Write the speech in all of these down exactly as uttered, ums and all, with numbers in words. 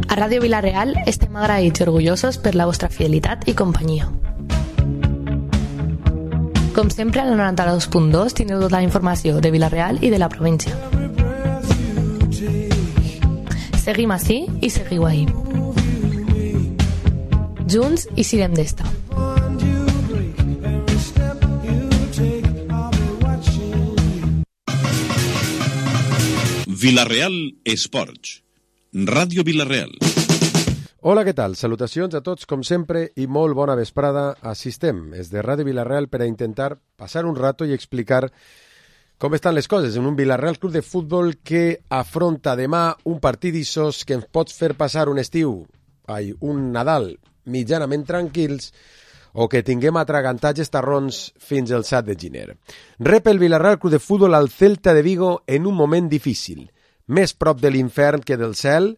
A Ràdio Vila-real estem agraïts i orgullosos per la vostra fidelitat i companyia. Com sempre, al noranta-dos punt dos tindreu tota la informació de Vila-real i de la província. Seguim ací i seguiu ahí. Junts i sirem d'esta. Vila-real Esports. Ràdio Vila-real. Hola, què tal? Salutacions a tots, com sempre, i molt bona vesprada. Assistem des de Ràdio Vila-real per a intentar passar un rato i explicar com estan les coses en un Vila-real Club de Futbol que afronta demà un partidissos que ens pot fer passar un estiu, ai, un Nadal mitjanament tranquils, o que tinguem atragantatges tarrons fins al set de gener. Rep el Vila-real Club de Futbol al Celta de Vigo en un moment difícil, més prop de l'infern que del cel,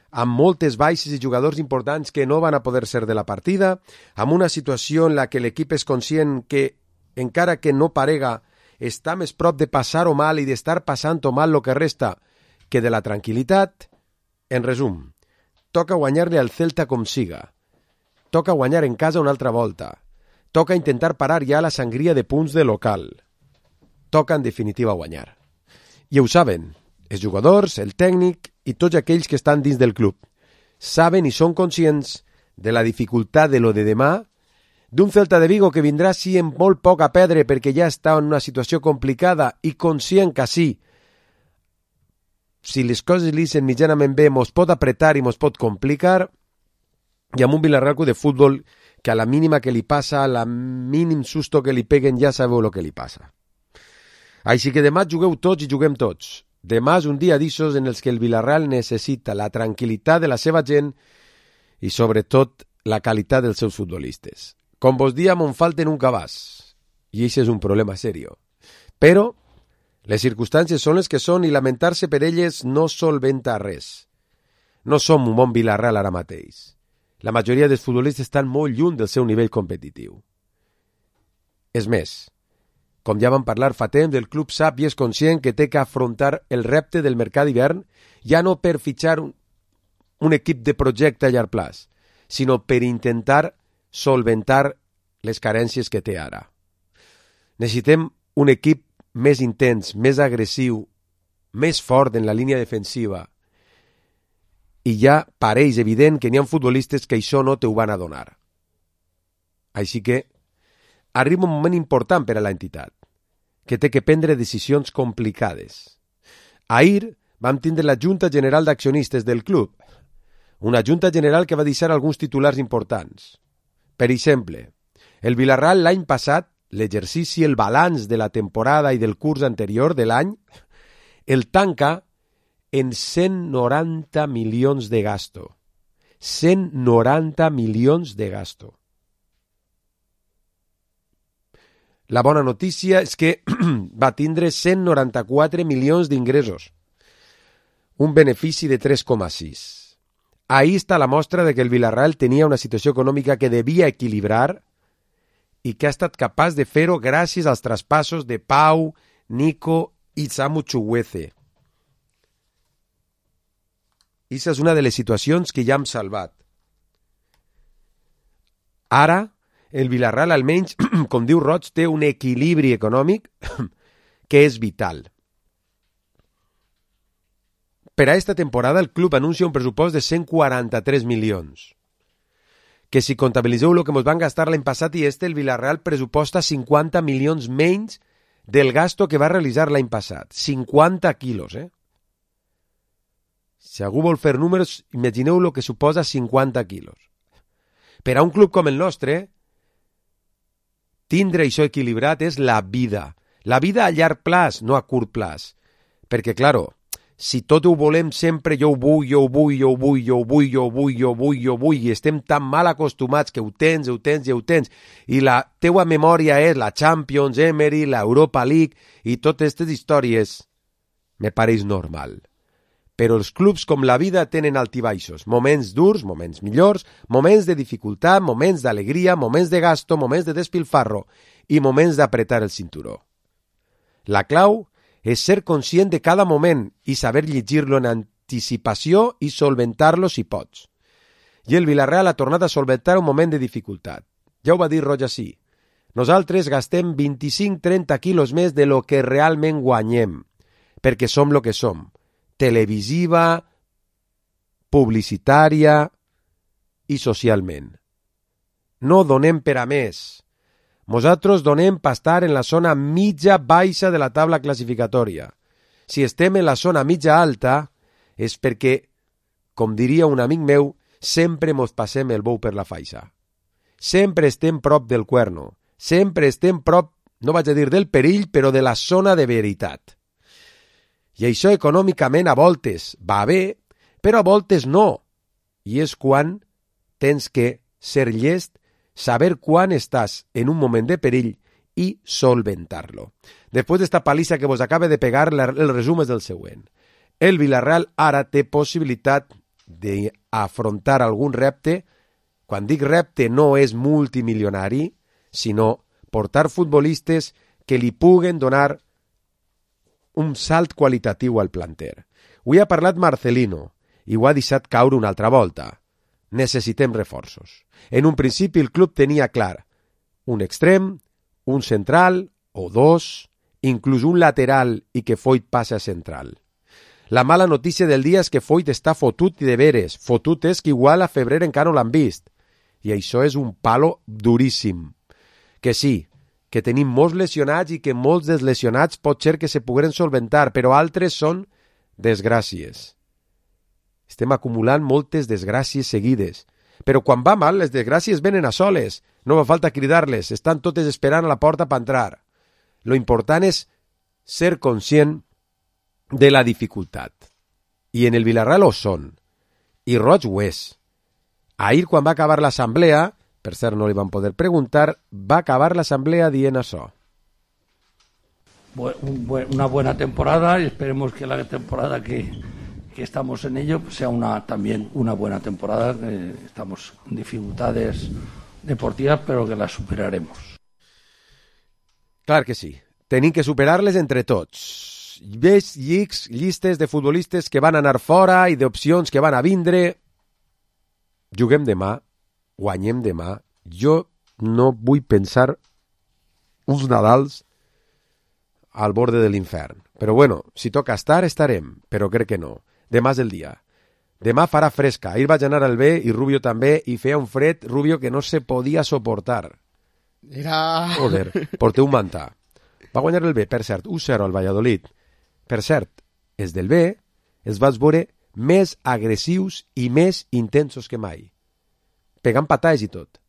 amb moltes baixes i jugadors importants que no van a poder ser de la partida, amb una situació en la que l'equip és conscient que, encara que no parega, està més prop de passar-ho mal i d'estar passant-ho mal el que resta que de la tranquil·litat. En resum, toca guanyar-li al Celta com siga. Toca guanyar en casa una altra volta. Toca intentar parar ja la sangria de punts de local. Toca, en definitiva, guanyar. I ho saben, els jugadors, el tècnic i tots aquells que estan dins del club. Saben i són conscients de la dificultat de lo de demà, d'un Celta de Vigo que vindrà sí amb molt poc a perdre perquè ja està en una situació complicada i conscient que sí, si les coses li sent mitjanament bé, mos pot apretar i mos pot complicar, i amb un Vila-real de futbol que a la mínima que li passa, a la mínim susto que li peguen, ja sabeu el que li passa. Així que demà jugueu tots i juguem tots. Demà és un dia d'issos en els que el Vila-real necessita la tranquil·litat de la seva gent i, sobretot, la qualitat dels seus futbolistes. Com vos diem, on falten un cabàs. I això és un problema serio. Però les circumstàncies són les que són i lamentar-se per elles no solventa res. No som un bon Vila-real ara mateix. La majoria dels futbolistes estan molt lluny del seu nivell competitiu. És més, com ja vam parlar fa temps, el club sap i és conscient que té que afrontar el repte del mercat d'hivern ja no per fitxar un, un equip de projecte a llarg plaç, sinó per intentar solventar les carències que té ara. Necessitem un equip més intens, més agressiu, més fort en la línia defensiva. I ja pareix evident que n'hi ha futbolistes que això no te ho van a donar. Així que arriba un moment important per a l'entitat, que té que prendre decisions complicades. Ahir vam tindre la Junta General d'Accionistes del club, una Junta General que va deixar alguns titulars importants. Per exemple, el Vila-real l'any passat, l'exercici, el balanç de la temporada i del curs anterior de l'any, el tanca en cent noranta milions de gasto. cent noranta milions de gasto. La bona notícia és que va tindre cent noranta-quatre milions d'ingressos, un benefici de tres coma sis. Ahí està la mostra de que el Vila-real tenia una situació econòmica que devia equilibrar i que ha estat capaç de fer-ho gràcies als traspassos de Pau, Nico i Samu Chukwueze. Aquesta és una de les situacions que ja hem salvat. Ara, el Vila-real, almenys, com diu Roig, té un equilibri econòmic que és vital. Per a aquesta temporada, el club anuncia un pressupost de cent quaranta-tres milions. Que si comptabilitzeu el que ens van gastar l'any passat i este, el Vila-real pressuposta cinquanta milions menys del gasto que va realitzar l'any passat. cinquanta quilos, eh? Si algú vol fer números, imagineu el que suposa cinquanta quilos. Per a un club com el nostre, tindre això equilibrat és la vida. La vida a llarg plaç, no a curt plaç. Perquè, claro, si tot ho volem sempre, jo ho vull, jo ho vull, jo ho vull, jo ho vull, jo ho vull, jo ho vull, jo ho vull, i estem tan mal acostumats que ho tens, ho tens i ho tens, i la teua memòria és la Champions, Emery, la Europa League, i totes aquestes històries, me pareix normal. Però els clubs, com la vida, tenen altibaixos, moments durs, moments millors, moments de dificultat, moments d'alegria, moments de gasto, moments de despilfarro i moments d'apretar el cinturó. La clau és ser conscient de cada moment i saber llegir-lo en anticipació i solventar-lo si pots. I el Villarreal ha tornat a solventar un moment de dificultat. Ja ho va dir Roig així. Nosaltres gastem vint-i-cinc trenta quilos més de lo que realment guanyem, perquè som lo que som. Televisiva, publicitària i socialment. No donem per a més. Nosaltres donem per estar en la zona mitja baixa de la taula classificatòria. Si estem en la zona mitja alta és perquè, com diria un amic meu, sempre mos passem el bou per la faixa. Sempre estem prop del cuerno. Sempre estem prop, no vaig a dir del perill, però de la zona de veritat. I això econòmicament a voltes va bé, però a voltes no. I és quan tens que ser llest, saber quan estàs en un moment de perill i solventar-lo. Després d'esta palissa que vos acaba de pegar, el resum és el següent. El Villarreal ara té possibilitat d'afrontar algun repte. Quan dic repte no és multimilionari, sinó portar futbolistes que li puguen donar un salt qualitatiu al planter. Avui ha parlat Marcelino i ho ha deixat caure una altra volta. Necessitem reforços. En un principi el club tenia clar un extrem, un central o dos, inclús un lateral i que Foyt passa a central. La mala notícia del dia és que Foyt està fotut i de veres. Fotut és que igual a febrer encara no l'han vist. I això és un palo duríssim. Que sí, que tenim molts lesionats i que molts dels lesionats pot ser que se pogueren solventar, però altres són desgràcies. Estem acumulant moltes desgràcies seguides. Però quan va mal, les desgràcies venen a soles. No fa falta cridar-les, estan totes esperant a la porta per entrar. Lo important és ser conscient de la dificultat. I en el Villarreal ho són. I Roig ho és. Ahir, quan va acabar l'assemblea, per cert, no li van poder preguntar, va acabar l'assemblea dient això. Una buena temporada y esperemos que la temporada que, que estamos en ello sea una, también una buena temporada. Eh, estamos en dificultades deportivas, pero que las superaremos. Clar que sí. Tenim que superar-les entre tots. Ves llics, llistes de futbolistes que van anar fora i d'opcions que van a vindre. Juguem demà, guanyem demà. Jo no vull pensar uns Nadals al borde de l'infern. Però bueno, si toca estar, estarem, però crec que no. Demà és el dia. Demà farà fresca. Ahir vaig anar al B i Rubio també, i feia un fred, Rubio, que no se podia soportar. Era... Joder, porteu un mantà. Va guanyar el B, per cert, u zero al Valladolid. Per cert, els del B els vaig veure més agressius i més intensos que mai. Pegant patades i tot.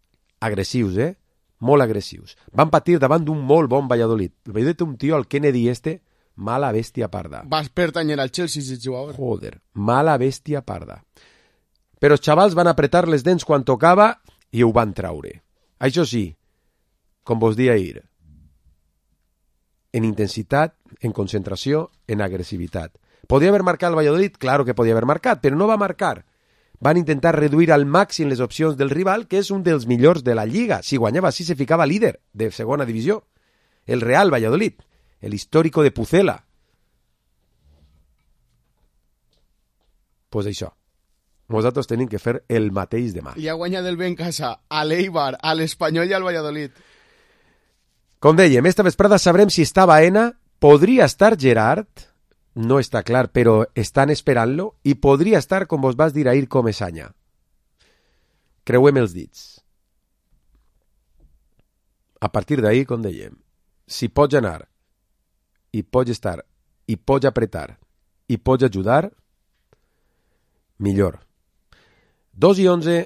Agressius, eh? Molt agressius. Van patir davant d'un molt bon Valladolid. El Valladolid té un tio, el Kennedy este, mala bèstia parda. Vas pertanyer al Chelsea si jugador. Joder, mala bèstia parda. Però els xavals van apretar les dents quan tocava i ho van traure. Això sí, com vos dia ahir, en intensitat, en concentració, en agressivitat. Podia haver marcat el Valladolid? Claro que podia haver marcat, però no va marcar. Van intentar reduir al màxim les opcions del rival, que és un dels millors de la Lliga. Si guanyava així, se ficava líder de segona divisió. El Real Valladolid, el històrico de Pucela. Pues això. Nosaltres tenim que fer el mateix demà. I ha guanyat el bé en casa a l'Eibar, a l'Espanyol i al Valladolid. Com dèiem, esta vesprada sabrem si està Baena, podria estar Gerard, no està clar, però estan esperant-lo, i podria estar, com vos vas dir ahir, Comesaña. Creuem els dits. A partir d'ahir, com dèiem, si pots anar, i pots estar, i pots apretar, i pots ajudar, millor. Dos i onze,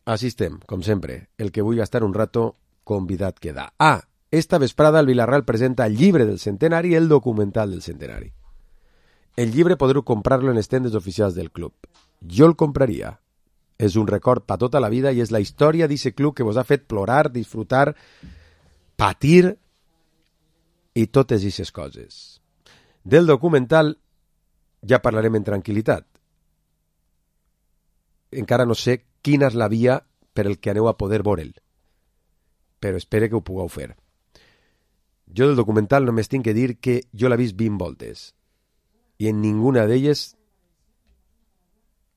així estem, com sempre. El que vulgui estar un rato, convidat queda. Ah, esta vesprada el Villarreal presenta el llibre del centenari i el documental del centenari. El llibre podreu comprar-lo en les tendes oficials del club. Jo el compraria. És un record per tota la vida i és la història d'aquest club que vos ha fet plorar, disfrutar, patir i totes aquestes coses. Del documental ja parlarem en tranquil·litat. Encara no sé quina és la via per el que aneu a poder veure'l, però espero que ho pugueu fer. Jo del documental només tinc que dir que jo l'he vist vint voltes i en ninguna d'elles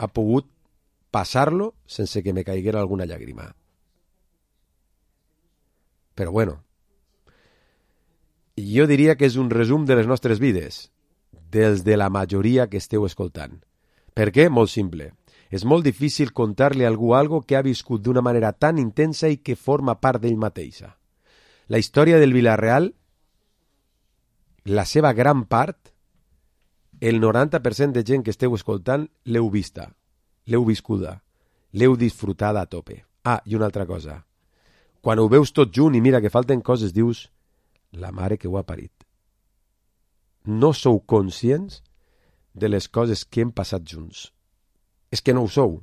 ha pogut passar-lo sense que me caiguera alguna llàgrima. Però bueno, jo diria que és un resum de les nostres vides, dels de la majoria que esteu escoltant. Per què? Molt simple. És molt difícil contar-li a algú algo que ha viscut d'una manera tan intensa i que forma part d'ell mateixa. La història del Villarreal, la seva gran part, el noranta per cent de gent que esteu escoltant l'heu vista, l'heu viscuda, l'heu disfrutada a tope. Ah, i una altra cosa. Quan ho veus tot junt i mira que falten coses, dius, la mare que ho ha parit. No sou conscients de les coses que hem passat junts. És que no ho sou,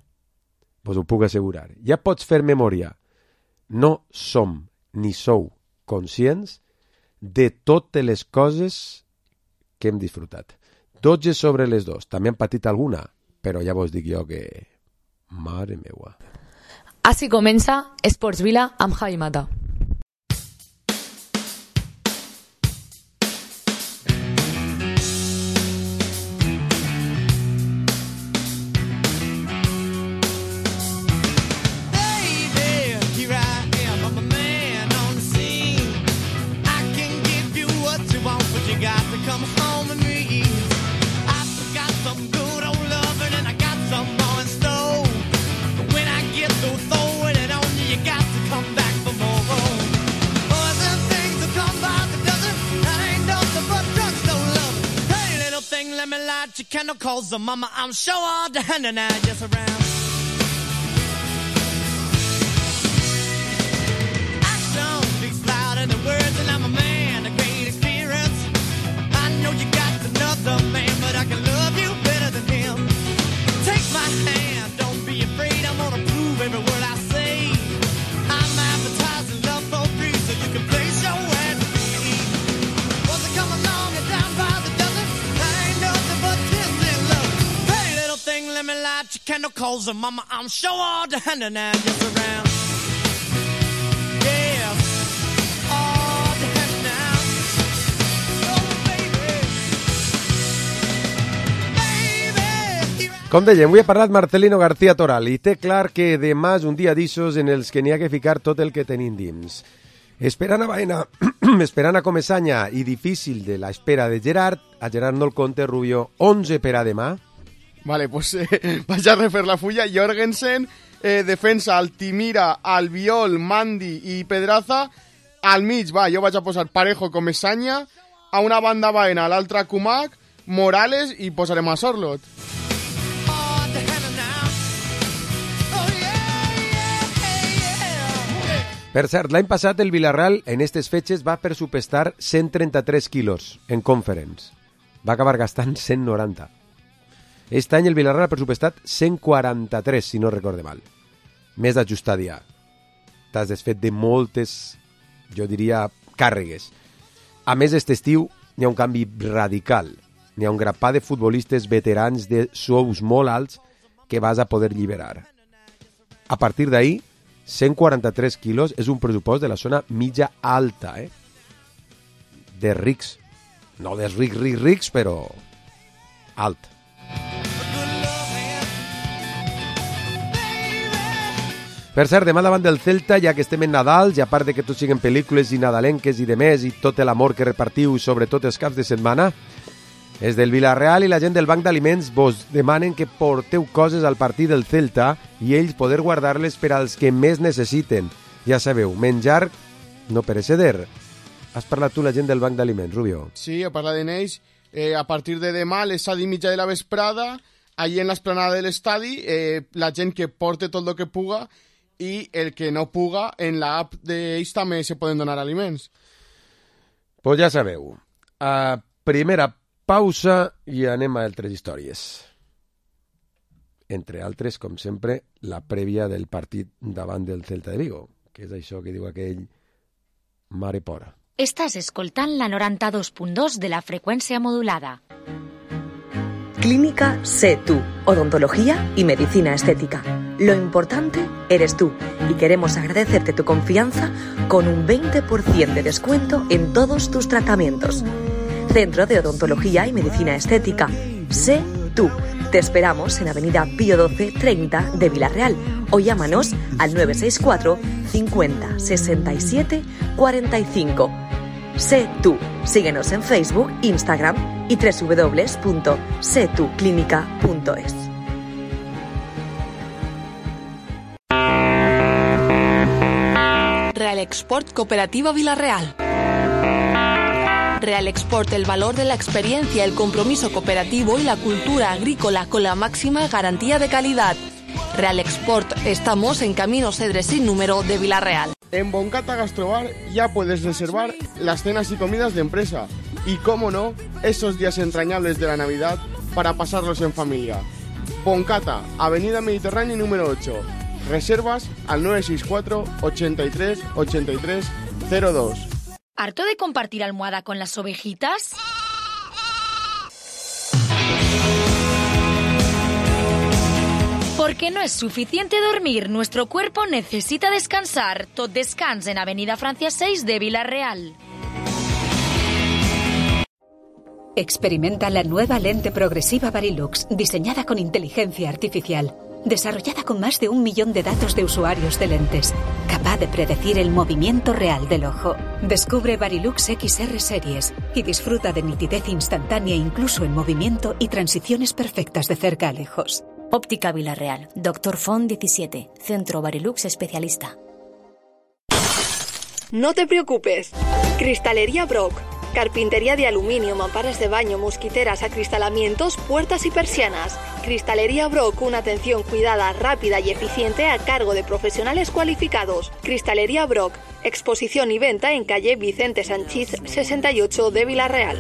vos ho puc assegurar. Ja pots fer memòria. No som ni sou conscients de totes les coses que hem disfrutat. dotze sobre les dos. També han patit alguna, però ja vos dic jo que... Mare meua. Així comença Esports Vila amb Javi Mata. Calls the mama, I'm sure all the hand and I just around. Action speaks louder than words, and I'm a man, a great experience. I know you got another man, but I can love you better than him. Take my hand, don't be afraid, I'm gonna prove every word I say. I'm advertising love for free, so you can place your ad with me. Wants to come along and down by the dozen, I ain't nothing but this. Let me light your candle, calls her mama, I'm sure all the hand and I just around. Yeah, all the hand now. Oh, baby. Baby. Com dèiem, avui ha parlat Marcelino García Toral i té clar que demà és un dia d'issos en els que n'hi ha que ficar tot el que tenim dins. Esperant a Baena, esperant a Comesaña i difícil de l'espera de Gerard, a Gerard no el compte, Rubio, onze per a demà. Vale, pues eh, vaig a refer la fulla. Jorgensen, eh, defensa, Altimira, Albiol, Mandi i Pedraza. Al mig, va, jo vaig a posar Parejo, Comesaña. A una banda Baena, a l'altra Kumak, Morales i posarem a Sorlot. Per cert, l'any passat el Villarreal en aquestes fetges va pressupostar cent trenta-tres quilos en Conference. Va acabar gastant cent noranta. Aquest any el Villarreal ha pressupostat cent quaranta-tres, si no recorde mal. Més ajustat ja. T'has desfet de moltes, jo diria, càrregues. A més, aquest estiu n'hi ha un canvi radical. N'hi ha un grapà de futbolistes veterans de sous molt alts que vas a poder lliberar. A partir d'ahir, cent quaranta-tres quilos és un pressupost de la zona mitja alta, eh? De rics. No dels rics, rics, rics, però alt. Per cert, demà davant del Celta, ja que estem en Nadal, i a part de que tots siguen pel·lícules i nadalenques i de més, i tot l'amor que repartiu, sobretot els caps de setmana, és del Villarreal i la gent del Banc d'Aliments vos demanen que porteu coses al partit del Celta i ells poder guardar-les per als que més necessiten. Ja sabeu, menjar no pereceder. Has parlat tu la gent del Banc d'Aliments, Rubio? Sí, he parlat en ells. Eh, a partir de demà, a les set i mitja de la vesprada, allí en l'esplanada de l'estadi, eh, la gent que porte tot el que puga i el que no puga, en l'app d'ells també se poden donar aliments. Pues ja sabeu. Uh, primera pausa i anem a altres històries. Entre altres, com sempre, la prèvia del partit davant del Celta de Vigo, que és això que diu aquell mare pora. Estàs escoltant la noranta-dos punt dos de la freqüència modulada. Clínica Sé Tú, odontología y medicina estética. Lo importante eres tú y queremos agradecerte tu confianza con un veinte por ciento de descuento en todos tus tratamientos. Centro de Odontología y Medicina Estética. Sé Tú, Te esperamos en Avenida Pío doce treinta de Villarreal o llámanos al nueve seis cuatro cincuenta sesenta y siete cuarenta y cinco. Sé tú. Síguenos en Facebook, Instagram y doble u doble u doble u punto sé tu clínica punto es. Real Export Cooperativa Villarreal. Real Export, el valor de la experiencia, el compromiso cooperativo y la cultura agrícola con la máxima garantía de calidad. Real Export, estamos en Camino Cedres sin número de Villarreal. En Boncata Gastrobar ya puedes reservar las cenas y comidas de empresa. Y cómo no, esos días entrañables de la Navidad para pasarlos en familia. Boncata, Avenida Mediterránea número ocho. Reservas al nueve seis cuatro ochenta y tres ochenta y tres cero dos. ¿Harto de compartir almohada con las ovejitas? Porque no es suficiente dormir, nuestro cuerpo necesita descansar. Tot Descans en Avenida Francia seis de Villarreal. Experimenta la nueva lente progresiva Varilux, diseñada con inteligencia artificial, desarrollada con más de un millón de datos de usuarios de lentes, capaz de predecir el movimiento real del ojo. Descubre Varilux X R Series y disfruta de nitidez instantánea incluso en movimiento y transiciones perfectas de cerca a lejos. Óptica Villarreal, Doctor Font diecisiete, Centro Varilux Especialista. No te preocupes. Cristalería Brock. Carpintería de aluminio, mamparas de baño, mosquiteras, acristalamientos, puertas y persianas. Cristalería Brock, una atención cuidada, rápida y eficiente a cargo de profesionales cualificados. Cristalería Brock, exposición y venta en calle Vicente Sanchís sesenta y ocho de Villarreal.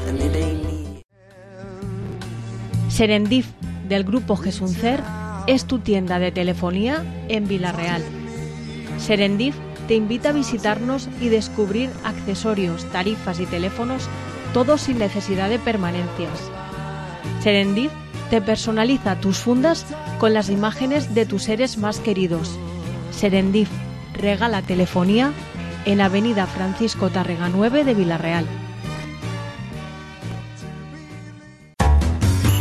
Serendip, del grupo Gesuncer, es tu tienda de telefonía en Villarreal. Serendip te invita a visitarnos y descubrir accesorios, tarifas y teléfonos, todo sin necesidad de permanencias. Serendip te personaliza tus fundas con las imágenes de tus seres más queridos. Serendip regala telefonía en Avenida Francisco Tárrega nueve de Villarreal.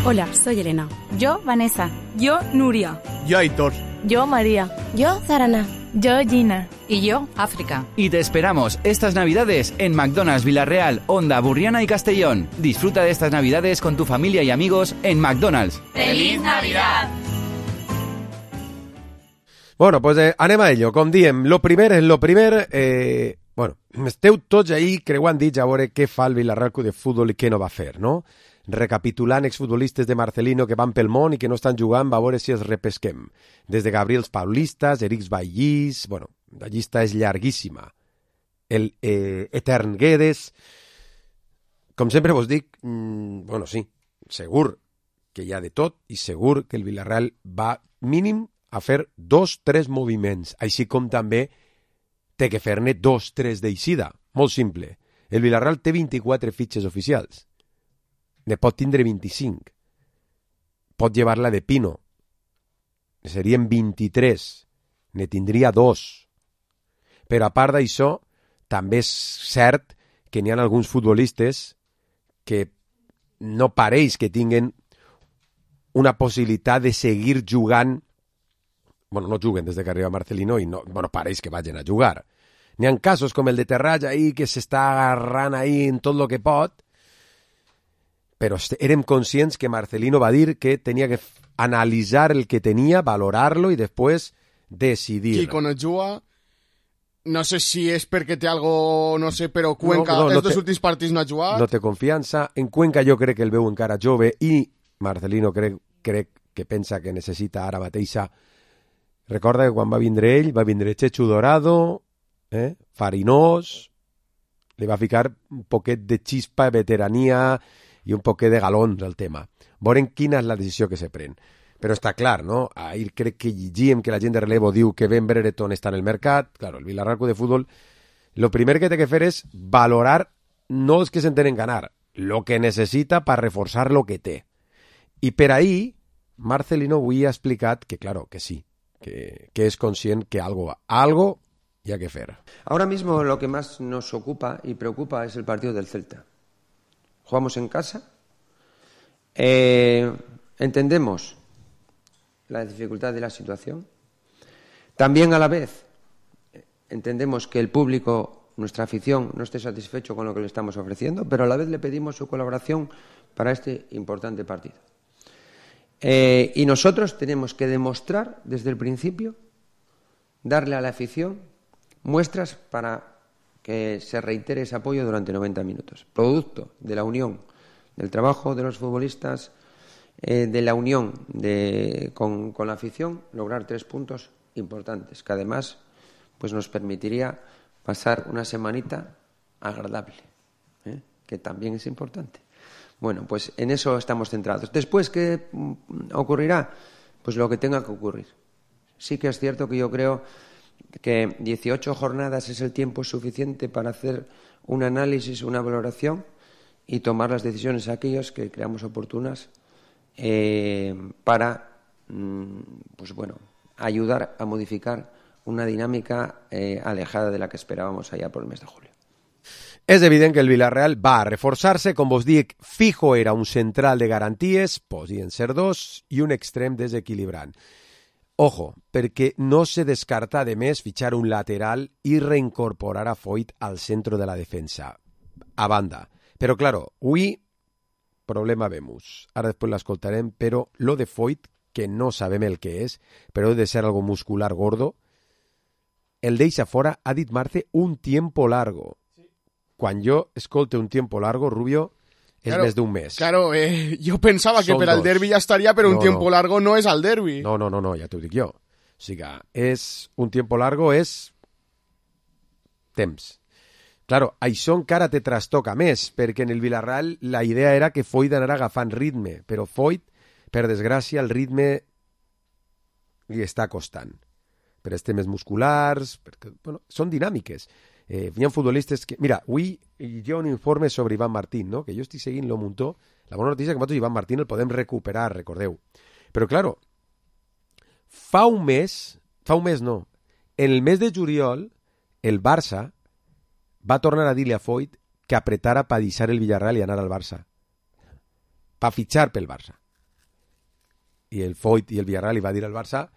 Hola, soy Elena. Yo, Vanessa. Yo, Nuria. Yo, Aitor. Yo, María. Yo, Zarana. Yo, Gina. Y yo, África. Y te esperamos estas Navidades en McDonald's Villarreal, Onda, Burriana y Castellón. Disfruta de estas Navidades con tu familia y amigos en McDonald's. ¡Feliz Navidad! Bueno, pues eh, anem a ello. Com diem, lo primer és lo primer. Eh, bueno, esteu tots ahí creuant dits a veure què fa el Villarreal Club de Futbol i què no va fer, no? Recapitulant exfutbolistes de Marcelino que van pel món i que no estan jugant, va veure si els repesquem. Des de Gabriels Paulistas, Erics Vallís, bueno, la llista és llarguíssima. El eh, Etern Guedes. Com sempre vos dic, mmm, bueno, sí, segur que hi ha de tot i segur que el Villarreal va mínim a fer dos, tres moviments, així com també té que fer-ne dos, tres d'eixida. Molt simple. El Villarreal té vint-i-quatre fitxes oficials. Ne pot tindre vint-i-cinc. Pot llevar-la de Pino. Serien vint-i-tres. Ne tindria dos. Però a part d'això, també és cert que n'hi ha alguns futbolistes que no pareix que tinguen una possibilitat de seguir jugant. Bueno, no juguen des de que arriba Marcelino i no, bueno, pareix que vagin a jugar. N'hi ha casos com el de Terrats ahí que s'està agarrant ahí en tot el que pot, però érem conscients que Marcelino va dir que tenia que analitzar el que tenia, valorar-lo i després decidir. Kiko no juga, no sé si és perquè té algo, no sé, però Cuenca, no, no, no els dos últims partits no ha jugat. No té confiança. En Cuenca jo crec que el veu encara jove i Marcelino crec, crec que pensa que necessita ara mateixa. Recorda que quan va vindre ell, va vindre Chechu Dorado, eh? Farinós, li va ficar un poquet de xispa, veterania i un poquet de galons al tema. Veurem quina és la decisió que se pren. Però està clar, no? Ahir crec que llegíem que la gent de relevo diu que Ben Brereton està en el mercat. Claro, el Villarreal Club de Futbol, lo primer que té que fer és valorar no els que s'entenen ganar, lo que necessita per reforçar lo que té. I per ahí, Marcelino avui ha explicat que, claro, que sí, que, que es consciente que algo, algo y hay que hacer. Ahora mismo lo que más nos ocupa y preocupa es el partido del Celta. Jugamos en casa, eh, entendemos la dificultad de la situación. También a la vez entendemos que el público, nuestra afición, no esté satisfecho con lo que le estamos ofreciendo, pero a la vez le pedimos su colaboración para este importante partido. Eh, y nosotros tenemos que demostrar desde el principio, darle a la afición muestras para que se reitere ese apoyo durante noventa minutos. Producto de la unión, del trabajo de los futbolistas, eh, de la unión de, con, con la afición, lograr tres puntos importantes, que además pues nos permitiría pasar una semanita agradable, ¿eh? que también es importante. Bueno, pues en eso estamos centrados. Después, ¿qué ocurrirá? Pues lo que tenga que ocurrir. Sí que es cierto que yo creo que dieciocho jornadas es el tiempo suficiente para hacer un análisis, una valoración y tomar las decisiones aquellas que creamos oportunas eh, para, pues bueno, ayudar a modificar una dinámica eh, alejada de la que esperábamos allá por el mes de julio. És evident que el Villarreal va a reforçar-se, com vos dic, fijo era un central de garanties, podien ser dos, i un extrem desequilibrant. Ojo, perquè no se descarta de més fitxar un lateral i reincorporar a Foyt al centre de la defensa. A banda. Però, claro, avui, problema vemos. Ara després l'escoltarem, però lo de Foyt, que no sabem el que és, però ha de ser algo muscular gordo, el deixa fora, ha dit Marce, un tiempo largo. Quan jo escolte un tiempo largo, Rubio, és claro, més d'un mes. Claro, eh, jo pensava que Són per al dos. derbi ja estaria, però No, un tiempo no. largo no és al derbi. No, no, no, no, ja t'ho dic jo. O sigui, és un tiempo largo, és temps. Claro, això encara te trastoca més, perquè en el Villarreal la idea era que Foyt anara agafant ritme, però Foyt, per desgràcia, el ritme li està costant. Per els temes musculars, perquè, bueno, són dinàmiques. Eh, hi ha futbolistes que... Mira, avui hi ha un informe sobre Iván Martín, no? Que jo estic seguint lo muntó. La bona notícia és que nosaltres Iván Martín el podem recuperar, recordeu. Però, claro, fa un mes, fa un mes no, en el mes de juliol, el Barça va tornar a dir-li a Foyt que apretara per deixar el Villarreal i anar al Barça. Per fitxar pel Barça. I el Foyt i el Villarreal li va dir al Barça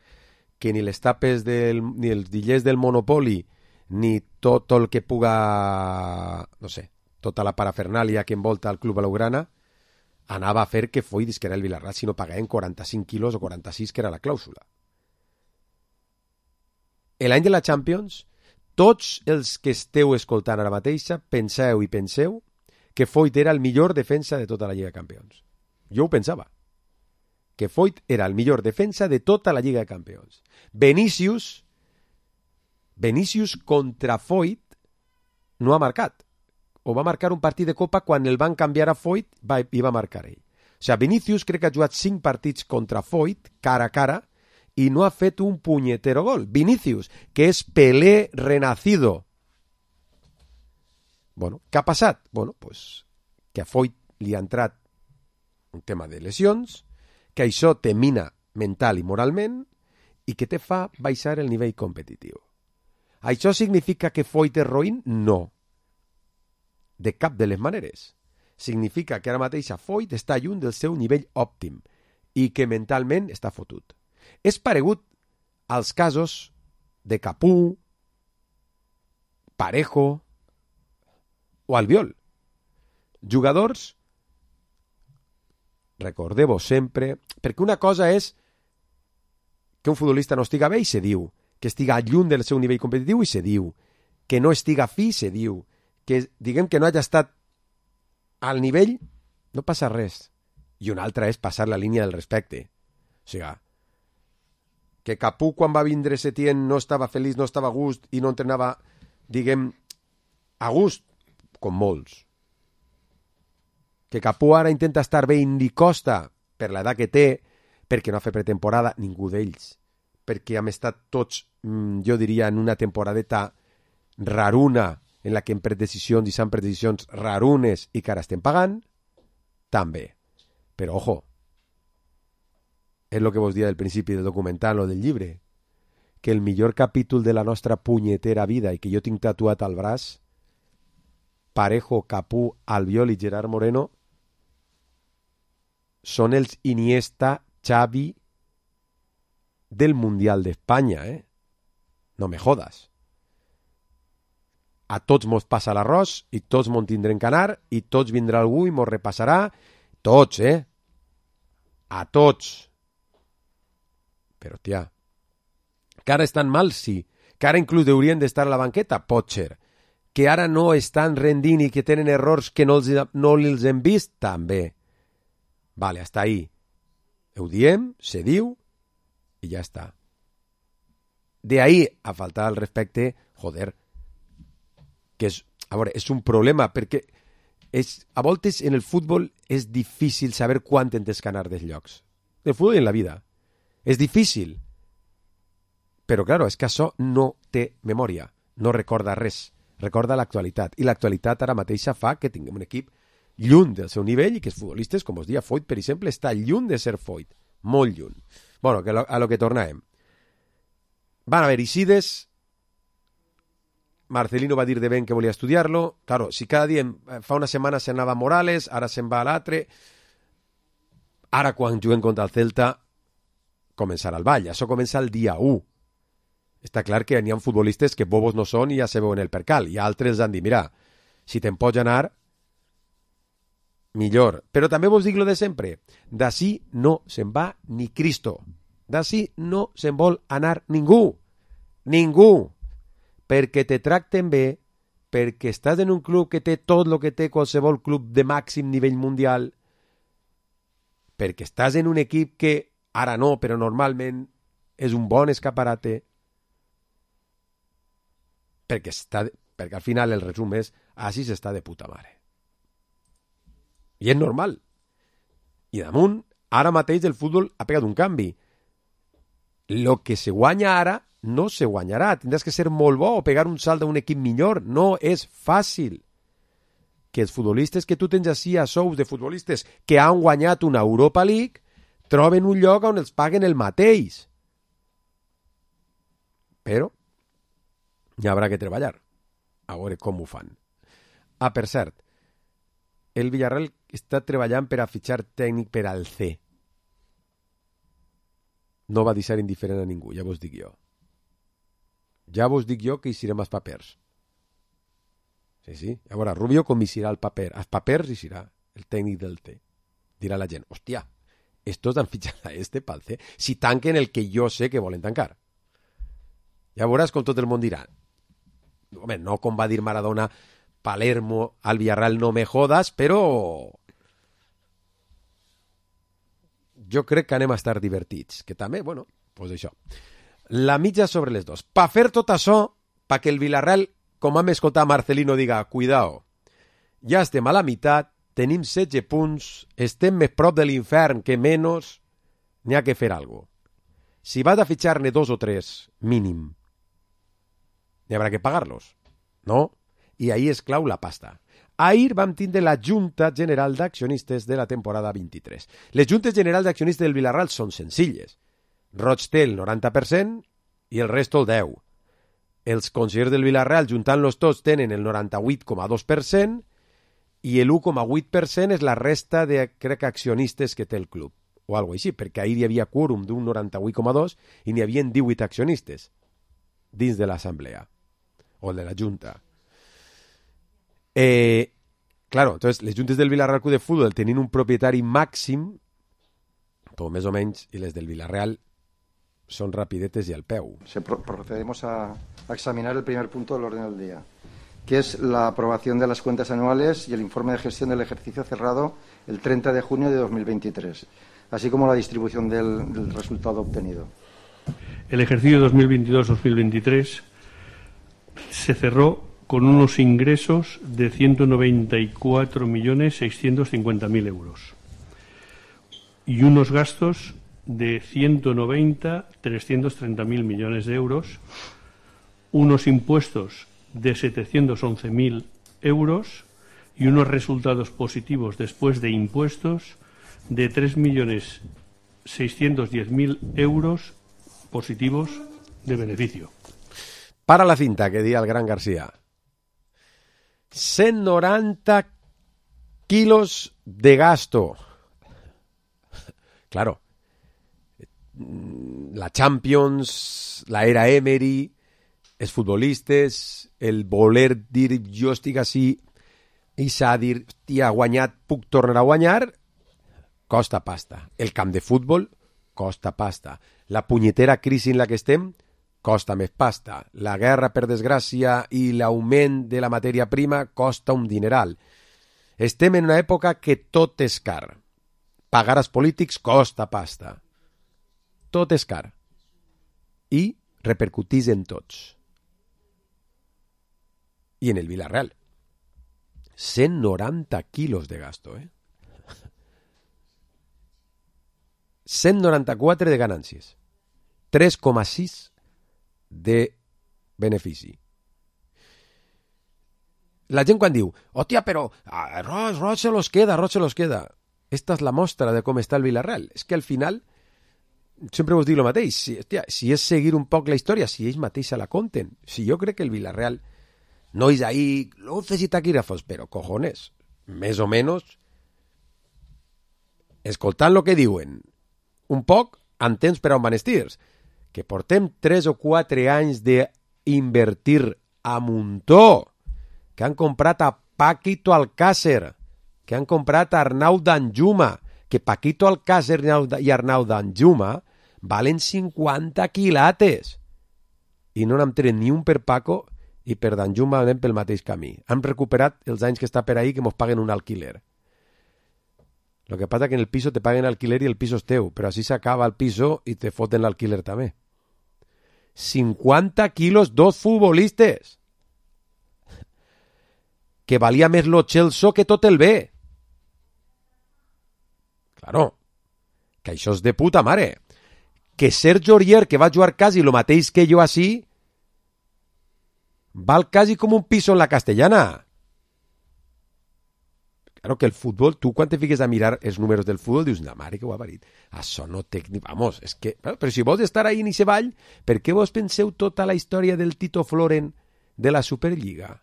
que ni les tapes del, ni els dillers del Monopoli ni tot el que puga, no sé, tota la parafernàlia que envolta el club blaugrana anava a fer que Foyt disquera el Villarreal si no pagaven quaranta-cinc quilos o quaranta-sis, que era la clàusula. L'any de la Champions, tots els que esteu escoltant ara mateixa penseu i penseu que Foyt era el millor defensa de tota la Lliga de Campions. Jo ho pensava. Que Foyt era el millor defensa de tota la Lliga de Campions. Vinícius Vinícius contra Foyt no ha marcat. O va marcar un partit de Copa quan el van canviar a Foyt va, i va marcar ell. O sigui, Vinícius crec que ha jugat cinc partits contra Foyt, cara a cara, i no ha fet un punyetero gol. Vinícius, que és Pelé renacido. Bueno, què ha passat? Bueno, pues, que a Foyt li ha entrat un tema de lesions, que això te mina mental i moralment i que te fa baixar el nivell competitiu. Això significa que Foyt és roïn? No. De cap de les maneres. Significa que ara mateix Foyt està lluny del seu nivell òptim i que mentalment està fotut. És paregut als casos de Capú, Parejo o Albiol. Jugadors, recordeu-vos sempre, perquè una cosa és que un futbolista no estiga bé i se diu, que estiga lluny del seu nivell competitiu i se diu, que no estiga fi se diu, que diguem que no hagi estat al nivell, no passa res. I una altra és passar la línia del respecte. O sigui, que Capú quan va vindre Setién no estava feliç, no estava a gust i no entrenava, diguem, a gust, com molts. Que Capú ara intenta estar bé i li costa per l'edat que té, perquè no ha fet pretemporada ningú d'ells, perquè hem estat tots, jo diria, en una temporadeta raruna, en la que hem pres decisions i s'han pres decisions rarunes i que ara estem pagant, també. Però, ojo, és el que vos dia del principi del documental o del llibre, que el millor capítol de la nostra punyetera vida i que jo tinc tatuat al braç, Parejo, Capú, Albiol i Gerard Moreno, són els Iniesta, Xavi del Mundial d'Espanya, eh? No me jodas. A tots mos passa l'arròs i tots mos tindrem que anar i tots vindrà algú i mos repassarà. Tots, eh? A tots. Però, tia, que ara estan mal, sí. Que ara inclús haurien d'estar a la banqueta, pot ser. Que ara no estan rendint i que tenen errors que no els, no els hem vist, també. Vale, hasta ahí. Ho diem, se diu i ja està. De ahí a faltar al respecte, joder, que és, a veure, és un problema, perquè és, a voltes en el futbol és difícil saber quan tens que anar dels llocs. En el futbol i en la vida. És difícil. Però, claro, és que això no té memòria, no recorda res, recorda l'actualitat. I l'actualitat ara mateixa fa que tinguem un equip lluny del seu nivell i que els futbolistes, com us dia Foyt, per exemple, està lluny de ser Foyt, molt lluny. Bueno, que lo, a lo que tornàvem. Van haver Isides, Marcelino va dir de ben que volia estudiar-lo. Claro, si cada dia, fa una setmana se n'anava Morales, ara se'n va a l'altre. Ara, quan juguem contra el Celta, començarà el ball. Això comença el dia u. Està clar que n'hi ha futbolistes que bobos no són i ja se veuen el percal. I altres han dit, mira, si te'n pots anar, millor. Però també vos dic lo de sempre. D'ací no se'n va ni Cristo. D'ací no se'n vol anar ningú. Ningú. Perquè te tracten bé, perquè estàs en un club que té tot el que té qualsevol club de màxim nivell mundial, perquè estàs en un equip que ara no, però normalment és un bon escaparate, perquè, està, perquè al final el resum és així s'està de puta mare. I és normal. I damunt, ara mateix el futbol ha pegat un canvi. Lo que se guanya ara no se guanyarà. Tindràs que ser molt bo o pegar un salt d'un equip millor. No és fàcil. Que els futbolistes que tu tens així a sous de futbolistes que han guanyat una Europa League troben un lloc on els paguen el mateix. Però hi haurà que treballar. A veure com ho fan. Ah, per cert, el Villarreal està treballant per a fitxar tècnic per al C. No va deixar indiferent a ningú, ja vos dic jo. Ja vos dic jo que hi serem els papers. Sí, sí. A veure, Rubio com hi serà el paper. Els papers hi serà el tècnic del T. Dirà la gent, hòstia, estos han fitxat a este pel C. Si tanquen el que jo sé que volen tancar. Ja veuràs com tot el món dirà. Home, no com va dir Maradona, Palermo al Villarreal no me jodas, però jo crec que anem a estar divertits. Que també, bueno, doncs això. La mitja sobre les dos. Pa fer tot això, pa que el Villarreal, com vam escoltar Marcelino, diga, cuidao, ja estem a la meitat, tenim setze punts, estem més prop de l'infern que menys, n'hi ha que fer alguna cosa. Si vas a fitxar-ne dos o tres, mínim, n'hi haurà que pagar-los, no? I ahí és clau la pasta. Ahir vam tindre la Junta General d'Accionistes de la temporada vint-i-tres. Les Juntes Generals d'Accionistes del Villarreal són senzilles. Roig té el noranta per cent i el resto el deu per cent. Els consellers del Villarreal, juntant-los tots, tenen el noranta-vuit coma dos per cent i el u coma vuit per cent és la resta de, crec, accionistes que té el club, o alguna cosa així, perquè ahir hi havia quòrum d'un noranta-vuit coma dos i n'hi havia divuit accionistes dins de l'assemblea, o de la Junta. Eh, claro, entonces, les juntes del Villarreal Club de Fútbol tenien un propietari màxim, tot més o menys, i les del Villarreal son rapidetes y al peu. Se pro procedemos a, a examinar el primer punto del orden del día, que es la aprobación de las cuentas anuales y el informe de gestión del ejercicio cerrado el treinta de junio de dos mil veintitrés, así como la distribución del, del resultado obtenido. El ejercicio dos mil veintidós dos mil veintitrés se cerró con unos ingresos de ciento noventa y cuatro millones seiscientos cincuenta mil euros y unos gastos de ciento noventa trescientos treinta mil millones de euros, unos impuestos de setecientos once mil euros y unos resultados positivos después de impuestos de tres millones seiscientos diez mil euros positivos de beneficio. Para la cinta, que diga el gran García. cent noranta kilos de gasto. claro, la Champions, la era Emery, els futbolistes, el voler dir jo estic així i s'ha de dir, hòstia, ha guanyat, puc tornar a guanyar, costa pasta. El camp de futbol costa pasta. La punyetera crisi en la que estem costa més pasta. La guerra, per desgràcia, i l'augment de la matèria prima costa un dineral. Estem en una època que tot és car. Pagar als polítics costa pasta. Tot és car. I repercutís en tots. I en el Villarreal. cent noranta quilos de gasto, eh? cent noranta-quatre de ganàncies. tres coma sis de benefici. La gent quan diu, hòstia, però ah, Roig, Roig se los queda, Roig se los queda. Esta és la mostra de com està el Villarreal. És que al final, sempre us dic el mateix, si, hòstia, si és seguir un poc la història, si ells mateix la conten, si jo crec que el Villarreal no és ahí luces y taquígrafos, però cojones, més o menys, escoltant el que diuen, un poc, entens per on van estirs, que portem tres o quatre anys d'invertir a muntó, que han comprat a Paquito Alcácer, que han comprat a Arnau Danjuma, que Paquito Alcácer i Arnau Danjuma valen cinquanta quilates, i no n'hem tret ni un per Paco, i per Danjuma anem pel mateix camí. Han recuperat els anys que està per ahí que mos paguen un alquiler. Lo que pasa que en el piso te paguen alquiler y el piso es teu, pero así se acaba el piso y te foten l'alquiler també. cinquanta quilos, dos futbolistes. Que valia més lo Chelsea que tot el bé. Claro, que això és de puta mare. Que Sergio Aurier, que va jugar quasi lo mateix que jo així, val quasi com un piso en la Castellana. Claro que el fútbol, tu quan te fiques a mirar els números del fútbol, dius, la mare que ho ha parit. Això no té ni... Vamos, és que... Però si vols estar ahí en ese ball, per què vos penseu tota la història del Tito Floren de la Superliga?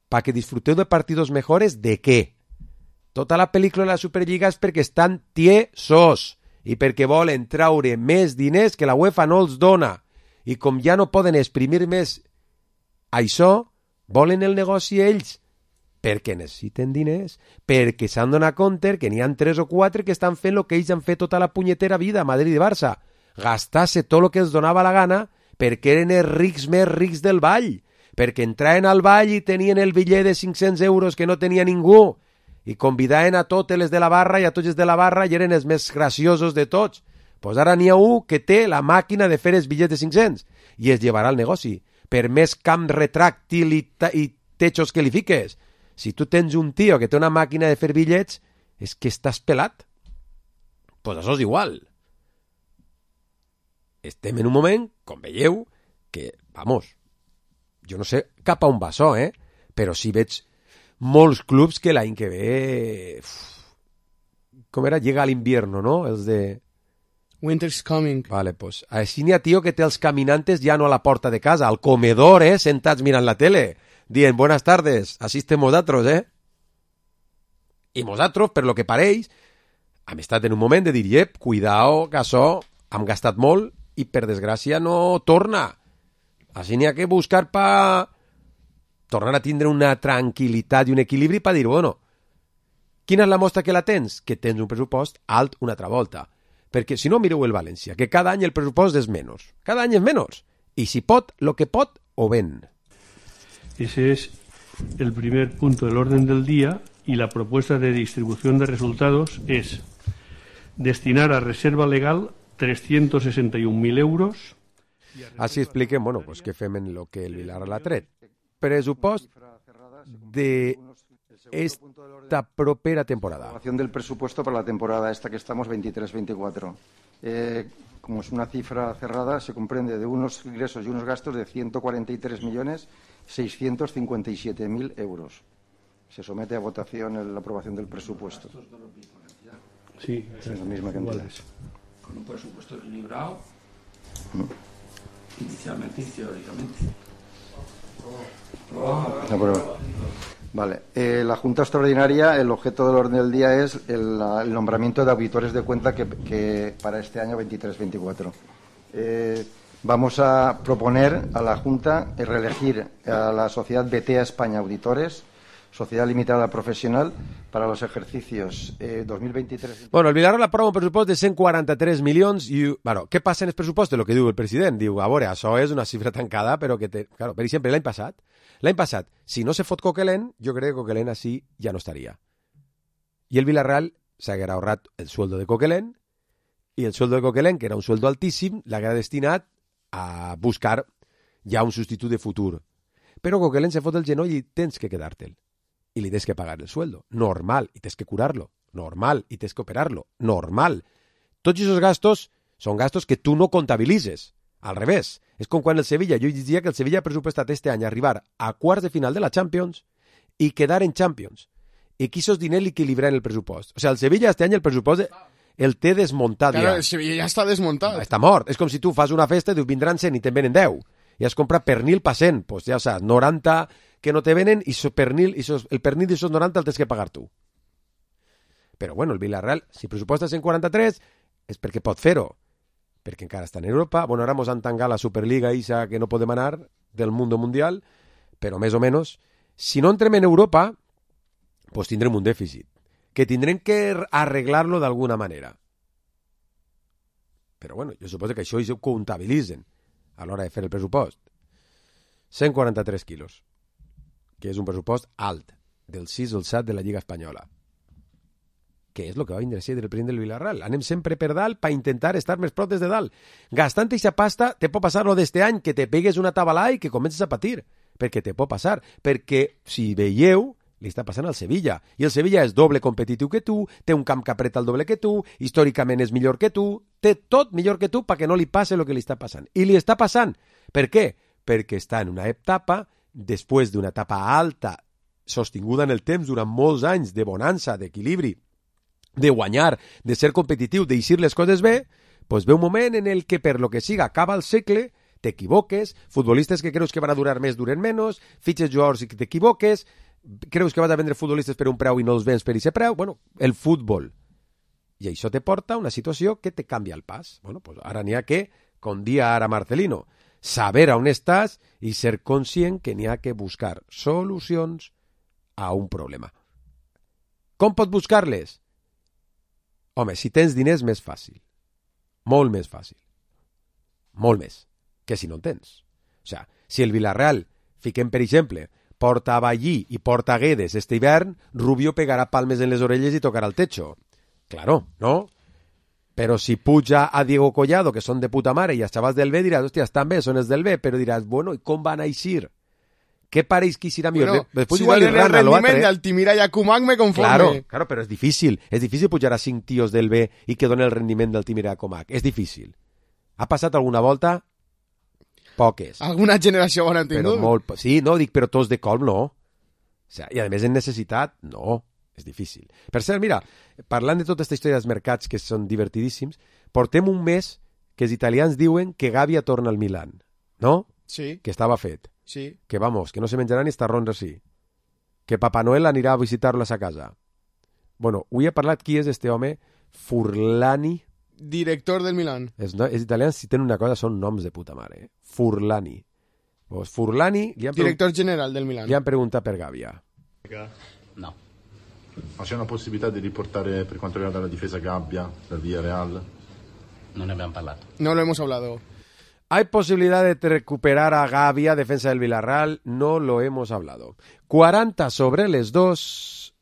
¿Para que disfruteu de partidos mejores? ¿De què? Tota la pel·lícula de la Superliga és perquè estan tiesos i perquè volen traure més diners que la UEFA no els dona. I com ja no poden exprimir més això, volen el negoci ells. Perquè necessiten diners, perquè s'han donat compte que n'hi ha tres o quatre que estan fent el que ells han fet tota la punyetera vida a Madrid i Barça, gastar-se tot el que els donava la gana perquè eren els rics més rics del ball, perquè entraven al ball i tenien el bitllet de cinc-cents euros que no tenia ningú i convidaven a totes les de la barra i a tots els de la barra i eren els més graciosos de tots. Pues ara n'hi ha un que té la màquina de fer els bitllets de cinc-cents i es llevarà el negoci. Per més camp retràctil i, i techos que li fiques. Si tu tens un tio que té una màquina de fer bitllets, és que estàs pelat. Pues això és igual. Estem en un moment, com veieu, que, vamos, jo no sé cap a on va això, eh? Però sí veig molts clubs que l'any que ve... Uf, com era? Llega a l'invierno, no? Els de... Winter's coming. Vale, pues així n'hi ha tio que té els caminantes ja no a la porta de casa, al comedor, eh? Sentats mirant la tele. Dient, buenas tardes, així estem nosaltres, eh? I nosaltres, per lo que pareix, hem estat en un moment de dir, yep, cuidao, que això hem gastat molt i per desgràcia no torna. Així n'hi ha que buscar per tornar a tindre una tranquil·litat i un equilibri per dir, bueno, quina és la mostra que la tens? Que tens un pressupost alt una altra volta. Perquè si no, mireu el València, que cada any el pressupost és menys. Cada any és menys. I si pot, lo que pot, ho ven. Ese es el primer punto del orden del día y la propuesta de distribución de resultados es destinar a reserva legal trescientos sesenta y un mil euros. Així expliquen, bueno, pues que fem en lo que el Vilar l'ha tret. Pressupost de esta propera temporada. Aprobación del presupuesto para la temporada esta que estamos veintitrés veinticuatro. Eh, como es una cifra cerrada, se comprende de unos ingresos y unos gastos de ciento cuarenta y tres millones seiscientos cincuenta y siete mil euros. Se somete a votación la aprobación del presupuesto. Sí, es la misma cantidad. Con un presupuesto equilibrado, mm. inicialmente y teóricamente. Oh. No, pero Vale. Eh, la Junta Extraordinaria, el objeto del orden del día es el, el nombramiento de auditores de cuenta que, que para este año veintitrés veinticuatro. Eh, vamos a proponer a la Junta reelegir a la sociedad Betea España Auditores, sociedad limitada profesional, para los ejercicios eh, dos mil veintitrés. Bueno, el Villarreal aprova un pressupost de cent quaranta-tres milions i... Bueno, què passa en el pressupost? El que diu el president. Diu, a veure, això és una xifra tancada, però que té... Claro, per exemple, l'any passat, l'any passat, si no se fot Coquelin, jo crec que Coquelin així ja no estaria. I el Villarreal s'haguera ahorrat el sueldo de Coquelin, i el sueldo de Coquelin, que era un sueldo altíssim, l'haguera destinat a buscar ja un substitut de futur. Però Coquelin se fot el genoll i tens que quedar-te'l. Y le tienes que pagar el sueldo. Normal. Y tienes que curarlo. Normal. Y tienes que operarlo. Normal. Todos esos gastos son gastos que tú no contabilices. Al revés. Es com quan el Sevilla. Jo diria que el Sevilla ha pressupostat este any arribar a quarts de final de la Champions i quedar en Champions. I quisos diner l'equilibrar en el pressupost. O sea, el Sevilla este any el pressupost el té desmuntat. Claro, ja. el Sevilla ja està desmuntat. Està mort. És com si tu fas una festa i dius vindran cent i te'n venen deu. I has comprat pernil pa cent. Pues ja saps, noranta... que no te venen i so pernil, i sos, el pernil de esos noranta el tens que pagar tu. Però bueno, el Villarreal, si pressuposta cent quaranta-tres, és perquè pot fer-ho. Perquè encara està en Europa. Bueno, ara mos han tancat la Superliga isa que no podem anar del mundo mundial, però més o menys, si no entrem en Europa, pues tindrem un dèficit, que tindrem que arreglar-lo d'alguna manera. Però bueno, jo suposo que això ho comptabilitzen a l'hora de fer el pressupost. cent quaranta-tres quilos. Que és un pressupost alt, del sis al set de la Lliga Espanyola. Que és el que va vindre a ser del president del Villarreal. Anem sempre per dalt per intentar estar més prop des de dalt. Gastant aquesta pasta, te pot passar lo d'este any, que te pegues una tabalà i que comences a patir. Perquè te pot passar. Perquè, si veieu, li està passant al Sevilla. I el Sevilla és doble competitiu que tu, té un camp que apreta el doble que tu, històricament és millor que tu, té tot millor que tu perquè no li passe el que li està passant. I li està passant. Per què? Perquè està en una etapa després d'una etapa alta, sostinguda en el temps durant molts anys de bonança, d'equilibri, de guanyar, de ser competitiu, d'eixir les coses bé, doncs ve un moment en el que per lo que siga acaba el segle, t'equivoques, futbolistes que creus que van a durar més duren menys, fitxes jugadors i que t'equivoques, creus que vas a vendre futbolistes per un preu i no els vens per aquest preu, bueno, el futbol. I això te porta a una situació que te canvia el pas. Bueno, pues ara n'hi ha que, com dia ara Marcelino, saber on estàs i ser conscient que n'hi ha que buscar solucions a un problema. Com pots buscar-les? Home, si tens diners, més fàcil. Molt més fàcil. Molt més que si no en tens. O sigui, si el Villarreal, fiquem per exemple, porta a Ballí i porta a Guedes este hivern, Rubio pegarà palmes en les orelles i tocarà el techo. Claro, ¿no? Però si puja a Diego Collado, que són de puta mare, i els xavals del B, diràs, hòstia, estan bé, són els del B, però diràs, bueno, i com van a eixir? Què pareix que serà millor? Bueno, Después si igual donen el Irlanda, lo rendiment altre. d'Altimira i Acumac me conforme. Claro, claro, però és difícil. És difícil pujar a cinc tios del B i que donen el rendiment d'Altimira i Acumac. És difícil. Ha passat alguna volta? Poques. Alguna generació bona han tingut? Però molt, sí, no, dic, però tots de colp no. O sea, i a més en necessitat, no. És difícil. Per cert, mira, parlant de tota aquesta història dels mercats que són divertidíssims, portem un mes que els italians diuen que Gavia torna al Milan, no? Sí. Que estava fet. Sí. Que, vamos, que no se menjarà ni estarrons així. Que Papà Noel anirà a visitar-lo a sa casa. Bueno, avui he parlat qui és este home, Furlani. Director del Milan. Els, no, els italians, si tenen una cosa, són noms de puta mare. Eh? Furlani. Pues Furlani... Li han Director general del Milan. Li han preguntat per Gavia. No. Ma c'è una possibilità di riportare per quanto riguarda la difesa Gabbia dal Villarreal? Non ne abbiamo parlato. No lo hemos hablado. ¿Hay posibilidad de recuperar a Gavia, defensa del Villarreal? No lo hemos hablado. cuarenta sobre les dos.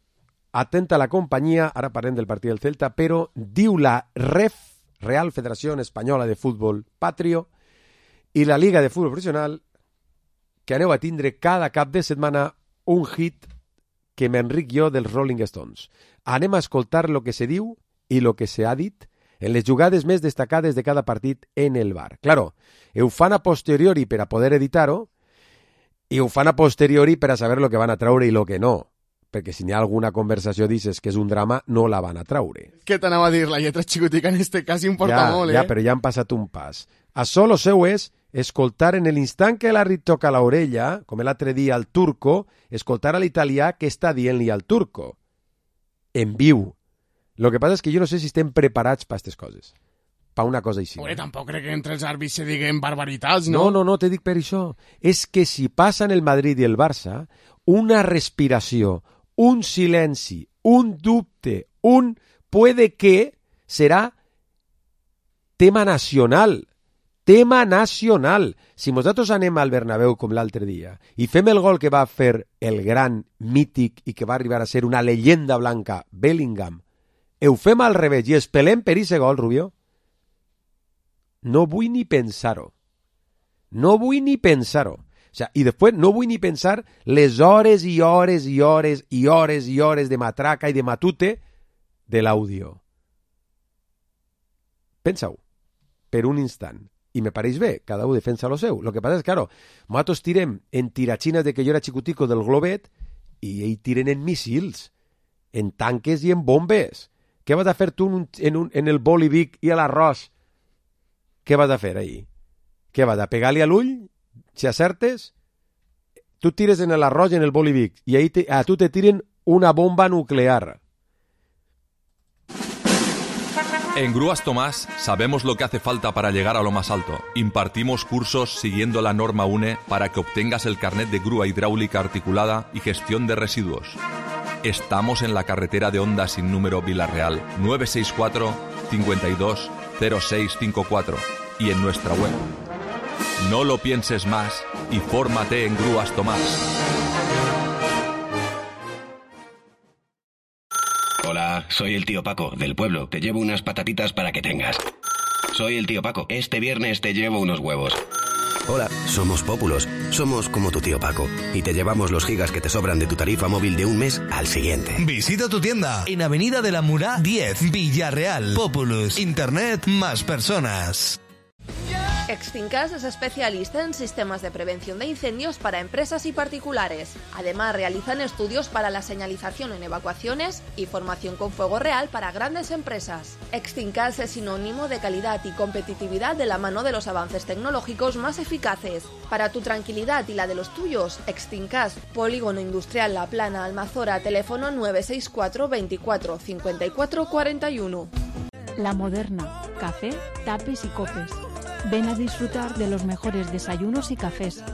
Atenta la companyia, ara parlem del partit del Celta, però diu la R E F, Real Federació Espanyola de Futbol Patrio, i la Liga de Futbol Professional, que aneu a tindre cada cap de setmana un hit que m'enric jo dels Rolling Stones. Anem a escoltar lo que se diu i lo que se ha dit en les jugades més destacades de cada partit en el bar. Claro, ho fan a posteriori per a poder editar-ho i ho fan a posteriori per a saber lo que van a traure i lo que no. Perquè si n'hi ha alguna conversació dices que és un drama, no la van a traure. Què t'anava a dir? La lletra xicotica en este cas importa ja, molt, eh? Ja, però ja han passat un pas. Això lo seu és escoltar en l'instant que la toca l'orella, com l'altre dia al turco, escoltar a l'italià què està dient-li al turco. En viu. Lo que passa és que jo no sé si estem preparats per aquestes coses. Per una cosa així. Oye, tampoc crec que entre els àrbits se diguen barbaritats, no? No, no, no, te dic per això. És que si passa en el Madrid i el Barça, una respiració, un silenci, un dubte, un puede que serà tema nacional. Tema nacional. Si nosaltres anem al Bernabéu com l'altre dia i fem el gol que va fer el gran mític i que va arribar a ser una leyenda blanca, Bellingham, i ho fem al revés i espelem per ese gol, Rubio, no vull ni pensar-ho. No vull ni pensar-ho. O sea, i després no vull ni pensar les hores i hores i hores i hores i hores de matraca i de matute de l'àudio. Pensa-ho, per un instant. I me pareix bé, cada un defensa lo seu. Lo que passa és que, claro, nosaltres tirem en tiratxines de que jo era xicutico del globet i ells tiren en missils, en tanques i en bombes. Què vas a fer tu en, un, en, un, en el bolivic i a l'arròs? Què vas a fer ahí? Què vas a pegar-li a l'ull? Si acertes, tu tires en l'arròs i en el bolivic i ahí te, a tu te tiren una bomba nuclear. En Grúas Tomás sabemos lo que hace falta para llegar a lo más alto. Impartimos cursos siguiendo la norma U N E para que obtengas el carnet de grúa hidráulica articulada y gestión de residuos. Estamos en la carretera de Honda sin número Vila-real nueve seis cuatro, cinco dos, cero seis cinco cuatro y en nuestra web. No lo pienses más y fórmate en Grúas Tomás. Hola, soy el tío Paco, del pueblo. Te llevo unas patatitas para que tengas. Soy el tío Paco. Este viernes te llevo unos huevos. Hola, somos Pópulos. Somos como tu tío Paco. Y te llevamos los gigas que te sobran de tu tarifa móvil de un mes al siguiente. Visita tu tienda en Avenida de la Murá diez, Villarreal. Populus. Internet más personas. Extincas es especialista en sistemas de prevención de incendios para empresas y particulares. Además, realizan estudios para la señalización en evacuaciones y formación con fuego real para grandes empresas. Extincas es sinónimo de calidad y competitividad de la mano de los avances tecnológicos más eficaces. Para tu tranquilidad y la de los tuyos, Extincas, Polígono Industrial La Plana, Almazora, teléfono nueve seis cuatro, veinticuatro, cincuenta y cuatro, cuarenta y uno. La Moderna, café, tapes y copes. Ven a disfrutar de los mejores desayunos y cafés.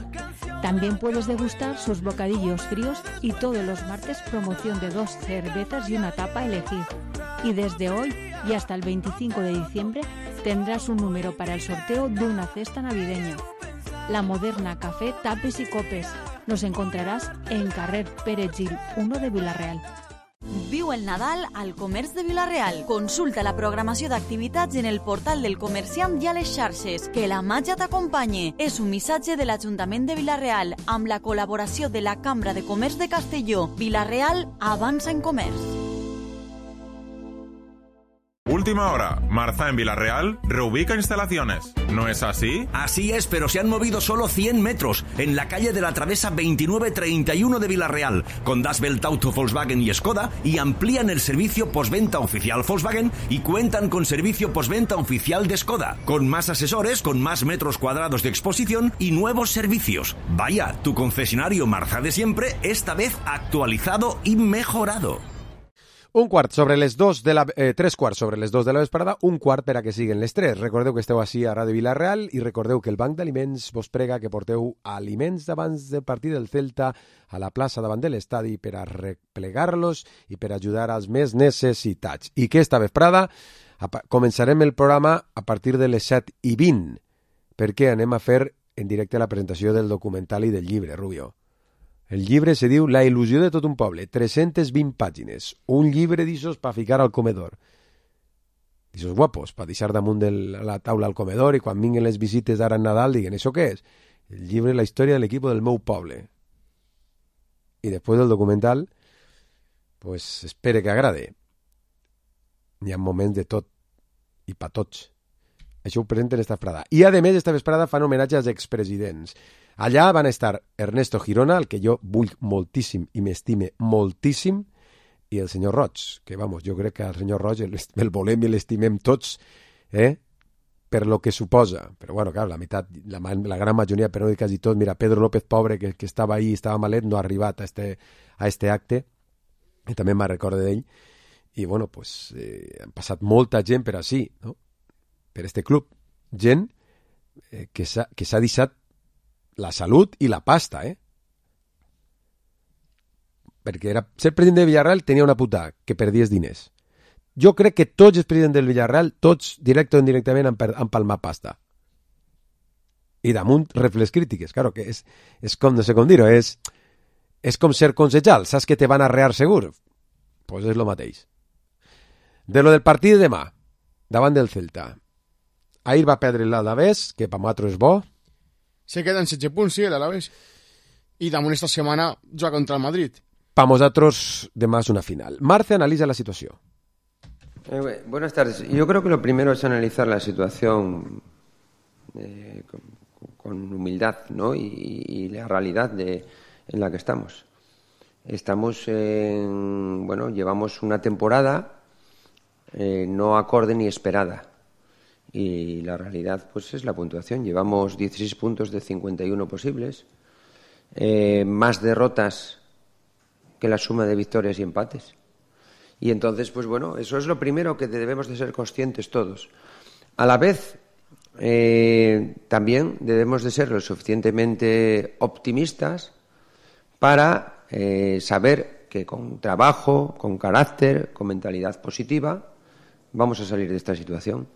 También puedes degustar sus bocadillos fríos y todos los martes promoción de dos cervezas y una tapa a elegir. Y desde hoy y hasta el veinticinco de diciembre tendrás un número para el sorteo de una cesta navideña. La Moderna, café, tapes y copes. Nos encontrarás en Carrer Pere Gil uno de Vila-real. Viu el Nadal al Comerç de Vila-real. Consulta la programació d'activitats en el portal del comerciant i a les xarxes. Que la màgia t'acompanyi. És un missatge de l'Ajuntament de Vila-real amb la col·laboració de la Cambra de Comerç de Castelló. Vila-real avança en comerç. Última hora. Marza en Vila-real reubica instalaciones. ¿No es así? Así es, pero se han movido solo cien metros en la calle de la Travesa veintinueve treinta y uno de Vila-real con Das Welt Auto, Volkswagen y Skoda y amplían el servicio postventa oficial Volkswagen y cuentan con servicio postventa oficial de Skoda, con más asesores, con más metros cuadrados de exposición y nuevos servicios. Vaya, tu concesionario Marza de siempre, esta vez actualizado y mejorado. Un quart sobre les dos de la... Eh, tres quarts sobre les dos de la vesprada, un quart per a que siguen les tres. Recordeu que esteu així a Ràdio Vila-real i recordeu que el Banc d'Aliments vos prega que porteu aliments d'abans del partit del Celta a la plaça davant de l'estadi per a replegar-los i per ajudar als més necessitats. I que esta vesprada començarem el programa a partir de les set i vint, perquè anem a fer en directe la presentació del documental i del llibre, Rubio. El llibre se diu La il·lusió de tot un poble, tres-centes vint pàgines. Un llibre d'ixos per ficar al comedor. D'ixos guapos, per deixar damunt de la taula al comedor i quan vinguen les visites d'ara en Nadal diguen, ¿això què és? El llibre La història de l'equip del meu poble. I després del documental, pues espere que agrade. Hi ha moments de tot i pa tots. Això ho presenten esta vesprada. I a més esta vesprada fan homenatge als expresidents. Allà van estar Ernesto Girona, el que jo vull moltíssim i m'estime moltíssim, i el senyor Roig, que, vamos, jo crec que el senyor Roig el, el volem i l'estimem tots, eh? per lo que suposa, però bueno, clar, la meitat, la, la gran majoria, però no dir quasi tot, mira, Pedro López, pobre, que, que estava ahí, estava malet, no ha arribat a este, a este acte, i també me'n recordo d'ell, i bueno, pues, eh, han passat molta gent per així, no? Per este club, gent eh, que s'ha que s'ha deixat la salut i la pasta, eh? Perquè era, ser president de Villarreal tenia una puta, que perdies diners. Jo crec que tots els presidents del Villarreal, tots, directe o indirectament, han, han palmat pasta. I damunt rep les crítiques. Claro que és, és com, no sé com dir-ho, és, és com ser consejal. Saps que te van arrear segur? Pues és lo mateix. De lo del partit de demà, davant del Celta. Ahir va perdre l'Alavés, que per nosaltres és bo. Se queden setze punts, sí, l'Alavés. I damunt esta setmana juga contra el Madrid. Per nosaltres demà és una final. Marce analitza la situació. Eh, buenas tardes. Yo creo que lo primero es analizar la situación eh, con, con humildad, ¿no? y, y la realidad de, en la que estamos. Estamos en, bueno, llevamos una temporada eh, no acorde ni esperada. Y la realidad, pues, es la puntuación. Llevamos dieciséis puntos de cincuenta y uno posibles, eh, más derrotas que la suma de victorias y empates. Y entonces, pues bueno, eso es lo primero que debemos de ser conscientes todos. A la vez, eh, también debemos de ser lo suficientemente optimistas para eh, saber que con trabajo, con carácter, con mentalidad positiva, vamos a salir de esta situación.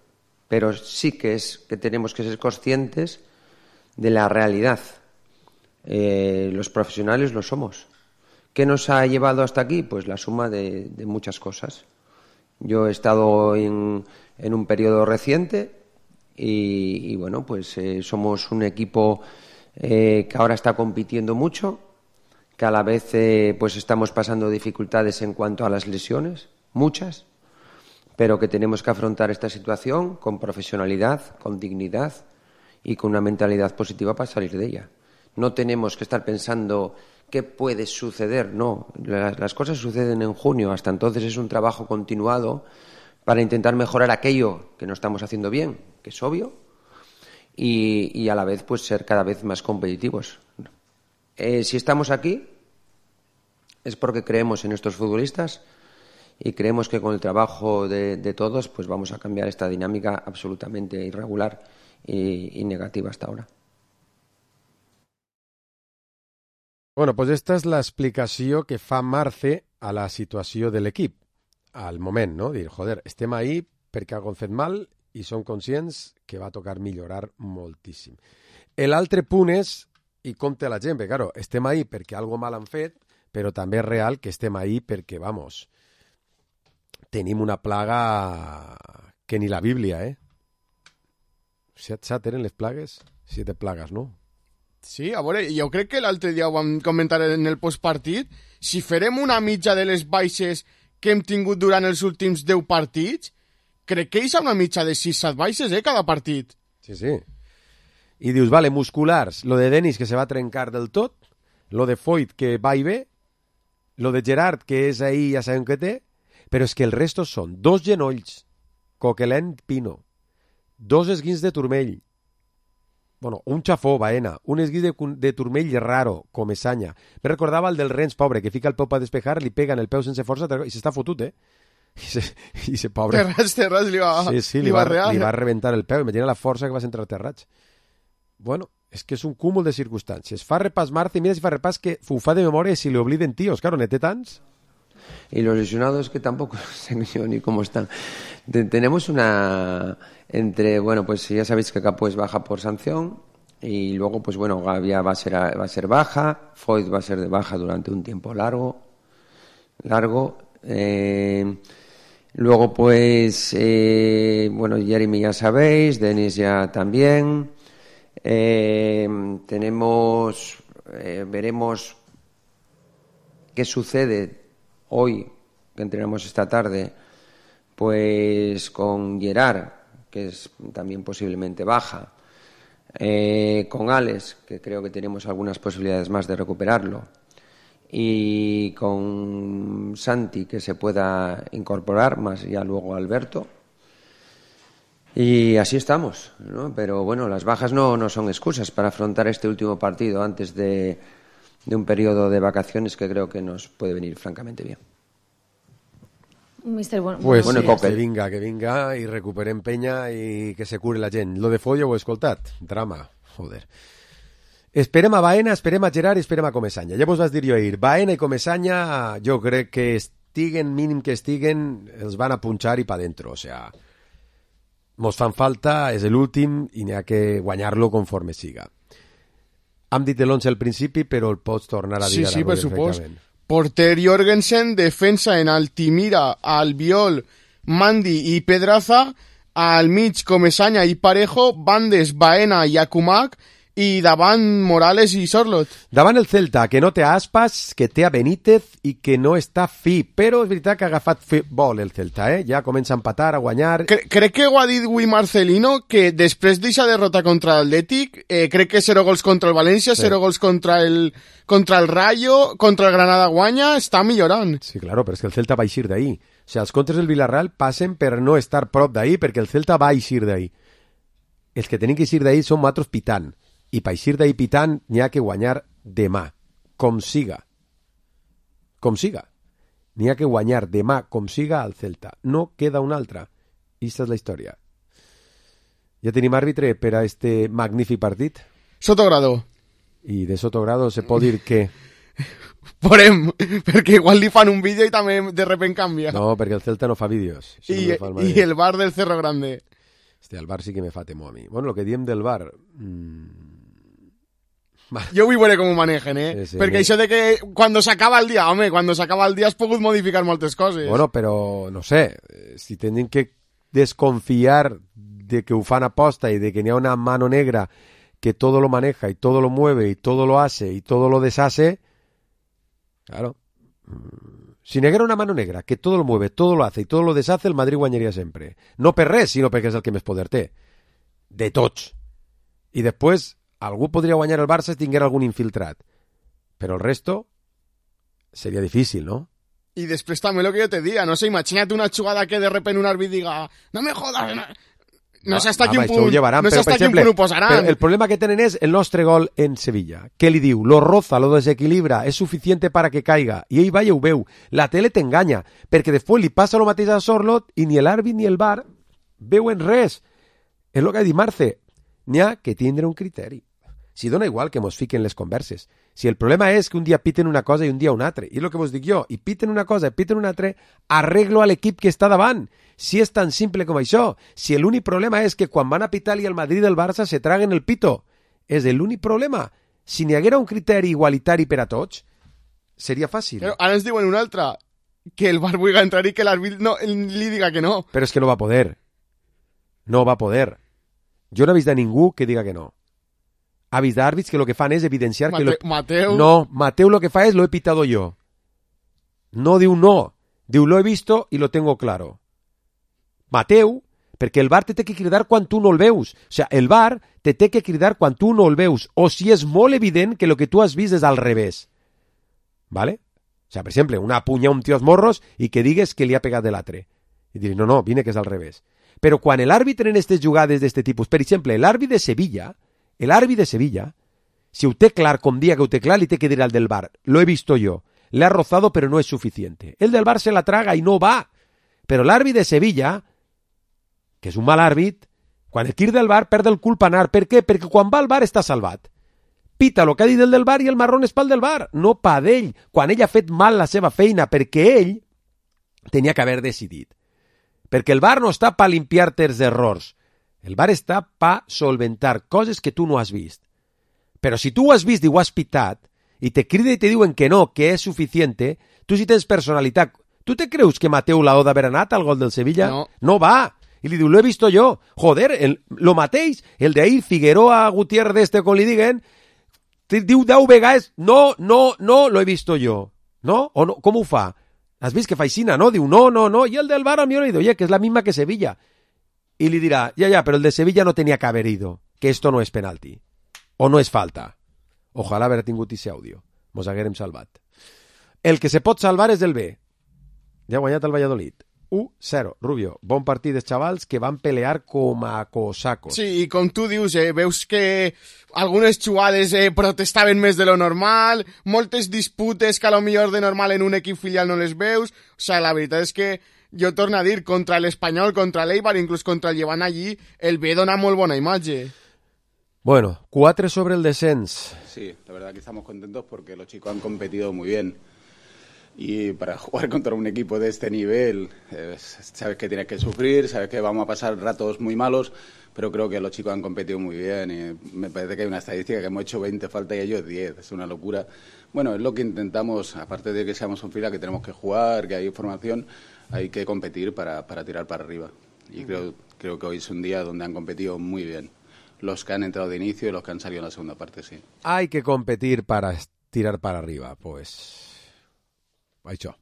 Pero sí que es que tenemos que ser conscientes de la realidad. Eh, los profesionales lo somos. ¿Qué nos ha llevado hasta aquí? Pues la suma de, de muchas cosas. Yo he estado en, en un periodo reciente y, y bueno, pues eh, somos un equipo eh, que ahora está compitiendo mucho, que a la vez eh, pues estamos pasando dificultades en cuanto a las lesiones, muchas, pero que tenemos que afrontar esta situación con profesionalidad, con dignidad y con una mentalidad positiva para salir de ella. No tenemos que estar pensando ¿qué puede suceder? No, las, las cosas suceden en junio. Hasta entonces es un trabajo continuado para intentar mejorar aquello que no estamos haciendo bien, que es obvio, y, y a la vez pues ser cada vez más competitivos. Eh, si estamos aquí es porque creemos en estos futbolistas y creemos que con el trabajo de, de todos pues vamos a cambiar esta dinámica absolutamente irregular y, y negativa hasta ahora. Bueno, pues esta és l'explicació que fa Marce a la situació de l'equip, al moment, no? Dir, joder, estem ahí perquè algo hem fet mal i som conscients que va tocar millorar moltíssim. L'altre punt és, i compte la gent, perquè, claro, estem ahí perquè algo mal han fet, però també és real que estem ahí perquè, vamos, tenim una plaga que ni la Bíblia, eh? Set, set eren les plagues? Siete plagues, no? Sí, a veure, jo crec que l'altre dia ho vam comentar en el postpartit. Si farem una mitja de les baixes que hem tingut durant els últims deu partits, crec que hi ha una mitja de sis set baixes, eh, cada partit. Sí, sí. I dius, vale, musculars, lo de Denis que se va trencar del tot, lo de Foyt que va i ve, lo de Gerard que és ahí, ja sabem què té, però és que el resto són dos genolls, Coquelin, Pino, dos esguins de turmell, bueno, un xafó, Baena, un esguís de, de turmell raro, Comesaña. Me recordava el del Rennes, pobre, que fica el peu per despejar, li pega en el peu sense força i s'està fotut, eh? I se, i se pobre... Terrats, terrats, li va, sí, sí, li, li, va, va li va rebentar el peu. Imagina la força que va entrar Terrats. Bueno, és que és un cúmul de circumstàncies. Fa repàs Marta i mira si fa repàs que ho fa de memòria i si li obliden tíos. Claro, ne té tants. Y los lesionados que tampoco sé yo ni cómo están. Tenemos una... entre, bueno, pues ya sabéis que Capo es baja por sanción y luego, pues bueno, Gavia va a ser, va a ser baja, Foyt va a ser de baja durante un tiempo largo, largo. Eh, luego, pues, eh, bueno, Jeremy ya sabéis, Denis ya también. Eh, tenemos, eh, veremos qué sucede hoy, que entrenamos esta tarde, pues con Gerard, que es también posiblemente baja, eh, con Alex, que creo que tenemos algunas posibilidades más de recuperarlo, y con Santi, que se pueda incorporar, más ya luego Alberto. Y así estamos, ¿no? Pero bueno, las bajas no, no son excusas para afrontar este último partido antes de, de un periodo de vacaciones que creo que nos puede venir francamente bien. Mister, bueno, pues bueno, sí, que vinga, que vinga i recuperem penya i que se cure la gent. Lo de Follo ho he escoltat. Drama, joder. Esperem a Baena, esperem a Gerard i esperem a Comesaña. Ja vos vas dir jo ahir, Baena i Comesaña jo crec que estiguen, mínim que estiguen, els van a punxar i pa dentro. O sea, mos fan falta, és l'últim i n'hi ha que guanyar-lo conforme siga. Hem dit l'onze al principi, però el pots tornar a dir sí, ara. Sí, per supost. Porter Jorgensen, defensa en Altimira, Albiol, Mandi i Pedraza, al mig Comesaña i Parejo, bandes Baena i Akumak, i davant Morales i Sorlot. Davant el Celta, que no té Aspas, que té a Benítez i que no està fi, però és veritat que ha agafat fi, vol el Celta, eh? Ja comença a empatar, a guanyar... Cre crec que ho ha dit avui Marcelino, que després d'aquesta derrota contra l'Atlètic, eh, crec que zero gols contra el València, sí. zero gols contra el, contra el Rayo, contra el Granada guanya, està millorant. Sí, claro, però és que el Celta va eixir d'ahí. O sigui, els contres del Villarreal passen per no estar prop d'ahí, perquè el Celta va eixir d'ahí. Els que tenen que eixir d'ahí són matros pitant. I per eixir d'ahí pitant n'hi ha que guanyar demà, com siga. Com siga. N'hi ha que guanyar demà, com siga, al Celta. No queda una altra. Esta és la història. Ja tenim àrbitre per a este magnífic partit? Sotogrado. I de Sotogrado se pot dir que... Veurem, perquè igual li fan un vídeo i també de repent canvia. No, perquè el Celta no fa vídeos. I, no fa el, I el bar del Cerro Grande. Este, el bar sí que me fa temor a mi. Bueno, lo que diem del bar... Mmm... Jo vull veure com ho manegen, eh? Sí, sí, perquè això de que quan s'acaba el dia, home, quan s'acaba el dia has pogut modificar moltes coses. Bueno, però, no sé, si tenen que desconfiar de que ho fan aposta y de que n'hi ha una mano negra que todo lo maneja y todo lo mueve y todo lo hace y todo lo deshace, claro. Si n'hi haguera una mano negra que todo lo mueve, todo lo hace y todo lo deshace, el Madrid guanyaria sempre. No per res, sinó perquè és el que més poder té. De tots. I després... algú podria guanyar el Barça si tinguera algun infiltrat, però el resto seria difícil, ¿no? I després també el que jo te diga, no sé, imagina't una jugada que de repente un àrbit diga no me jodas, no, no sé hasta quin punt, no sé hasta quin punt ho posaran. Però el problema que tenen és el nostre gol en Sevilla. Què li diu? Lo roza, lo desequilibra, és suficiente para que caiga. I ell va i ho veu. La tele t'enganya, perquè després li passa el mateix a Sorlot i ni l'àrbit ni el V A R veuen res. És el que ha dit Marce. N'hi ha que tindre un criteri. Si dona igual que mos fiquen les converses. Si el problema és que un dia piten una cosa i un dia un altre. I és el que vos dic jo. I piten una cosa i piten un altre, arreglo a l'equip que està davant. Si és tan simple com això. Si l'únic problema és que quan van a pitar i el Madrid i el Barça se traguen el pito. És l'únic problema. Si n'hi haguera un criteri igualitari per a tots, seria fàcil. Però ara ens diuen un altre. Que el V A R vulgui entrar i que l'àrbit no, li diga que no. Però és que no va poder. No va poder. Jo no he vist de ningú que diga que no. Ha vist d'àrbits que lo que fan és evidenciar Mate, que... Lo... Mateu... No, Mateu lo que fa és lo he pitado yo. No diu no. Diu lo he visto y lo tengo claro. Mateu, perquè el V A R te té que cridar quan tu no el veus. O sea, el V A R te té que cridar quan tu no el veus. O si és molt evident que lo que tu has vist és al revés. ¿Vale? O sea, per exemple, una punya un tio als morros i que digues que li ha pegat de l'altre. I dir, no, no, vine que és al revés. Però quan l'àrbitre en aquestes jugades d'este tipus, per exemple, l'àrbitre de Sevilla... El árbitro de Sevilla, si usted clar, con día que usted clar, le tiene que decir al del V A R, lo he visto yo, le ha rozado pero no es suficiente. El del V A R se la traga y no va. Pero el árbitro de Sevilla, que és un mal àrbit, quan el tir del V A R perd el cul per anar. Per què? Perquè quan va al V A R està salvat. Pita el que ha dit el del V A R i el marrón és pel del V A R, no pa d'ell, quan ell ha fet mal la seva feina, perquè ell tenia que haver decidit. Perquè el V A R no està pa limpiar-te els errors. El V A R està pa solventar coses que tu no has vist. Però si tu ho has vist i ho has pitat, i te crida i te diuen que no, que és suficiente, tu si tens personalitat... Tu te creus que Mateu l'ha d'haver anat al gol del Sevilla? No. No va. I li diu, lo he visto yo. Joder, el, lo mateix, el d'ahir, Figueroa, Gutiérrez, este, com li diguen, diu deu vegades, no, no, no, lo he visto yo. No? O no? Com ho fa? Has vist que fa aixina, no? Diu, no, no, no. I el del V A R a mi li diu, oye, que és la misma que Sevilla. Y le dirá, ya, ya, pero el de Sevilla no tenía que haber ido, que esto no es penalti, o no es falta. Ojalá haver tingut ese audio, mos haguérem salvat. El que se pot salvar és el B. Ja ha guanyat el Valladolid. u cero. Rubio, bon partit dels xavals que van pelear com a cosacos. Sí, i com tu dius, eh, veus que algunes xugades eh, protestaven més de lo normal, moltes disputes que a lo millor de normal en un equip filial no les veus. O sigui, la veritat és que jo torno a dir, contra l'Espanyol, contra l'Eibar, inclús contra el Llevant allí, el B dona molt bona imatge. Bueno, cuatro sobre el descens. Sí, la verdad que estamos contentos porque los chicos han competido muy bien. Y para jugar contra un equipo de este nivel, eh, sabes que tienes que sufrir, sabes que vamos a pasar ratos muy malos, pero creo que los chicos han competido muy bien y me parece que hay una estadística que hemos hecho veinte faltas y ellos diez, es una locura. Bueno, es lo que intentamos, aparte de que seamos un fila, que tenemos que jugar, que hay formación, hay que competir para, para tirar para arriba. Y creo, creo que hoy es un día donde han competido muy bien. Los que han entrado de inicio y los que han salido en la segunda parte, sí. Hay que competir para tirar para arriba, pues... Això.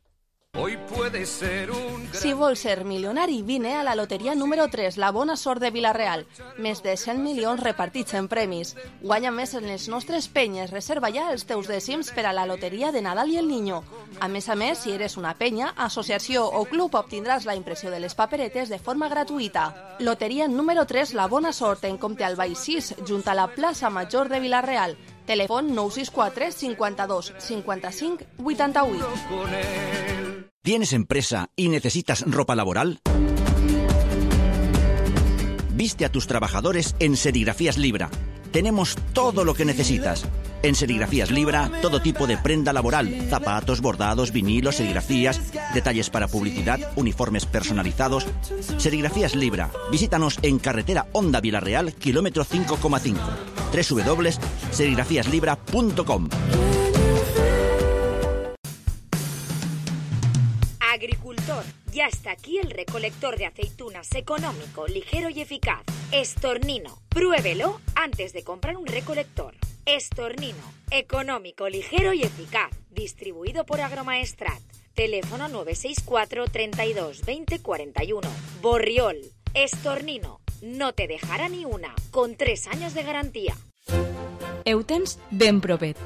Hoy puede ser un... Si vols ser milionari, vine a la loteria número tres, la bona sort de Vila-real. Més de cent milions repartits en premis. Guanya més en les nostres penyes. Reserva ja els teus dècims per a la loteria de Nadal i el Niño. A més a més, si eres una penya, associació o club, obtindràs la impressió de les paperetes de forma gratuïta. Loteria número tres, la bona sort, en compte al Baix sis, junt a la plaça Major de Vila-real. Telèfon nou sis quatre cinquanta-dos cinquanta-cinc vuitanta-vuit. ¿Tienes empresa y necesitas ropa laboral? Viste a tus trabajadores en Serigrafías Libra. Tenemos todo lo que necesitas. En Serigrafías Libra, todo tipo de prenda laboral, zapatos, bordados, vinilos, serigrafías, detalles para publicidad, uniformes personalizados. Serigrafías Libra. Visítanos en carretera Honda Vila-real, kilómetro cinco coma cinco. doble u doble u doble u punto serigrafías libra punto com. Agricultor, ya está aquí el recolector de aceitunas económico, ligero y eficaz. Estornino. Pruébelo antes de comprar un recolector. Estornino. Económico, ligero y eficaz. Distribuido por Agromaestrat. Teléfono nueve seis cuatro treinta y dos veinte cuarenta y uno. Borriol. Estornino. No te dejará ni una. Con tres años de garantía. Heu tens ben propet.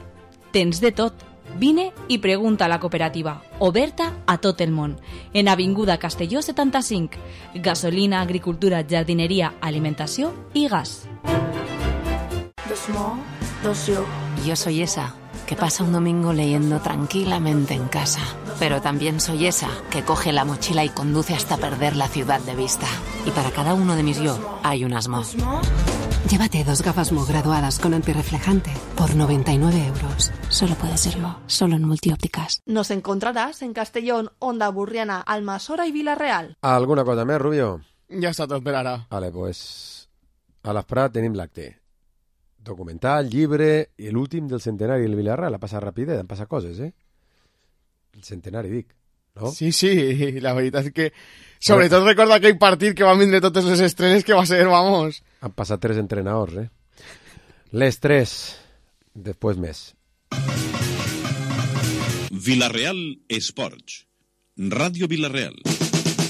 Tens de tot. Vine i pregunta a la cooperativa, oberta a tot el món, en Avinguda Castelló setanta-cinc. Gasolina, agricultura, jardineria, alimentació i gas. Dos mo, dos yo. Yo soy esa que pasa un domingo leyendo tranquilamente en casa, pero también soy esa que coge la mochila y conduce hasta perder la ciudad de vista. Y para cada uno de mis yo hay unas mo. Llévate dos gafas Mo graduadas con antirreflejante por noventa y nueve euros. Solo puede ser Mo, solo en Multiópticas. Nos encontrarás en Castellón, Onda Burriana, Almassora y Vila-real. ¿Alguna cosa més, Rubio? Ja està tot per ara. Vale, pues a l'Esprat tenim l'acte. Documental, llibre i l'últim del centenari del Vila-real. Ha passat rapidet, han passat coses, eh? El centenari, dic, no? Sí, sí, la veritat és que... Sobretot recorda aquell partit que van vindre totes les estrenes que va ser, vamos... Han passat tres entrenadors, eh? Les tres, després més. Vila-real Esports. Ràdio Vila-real.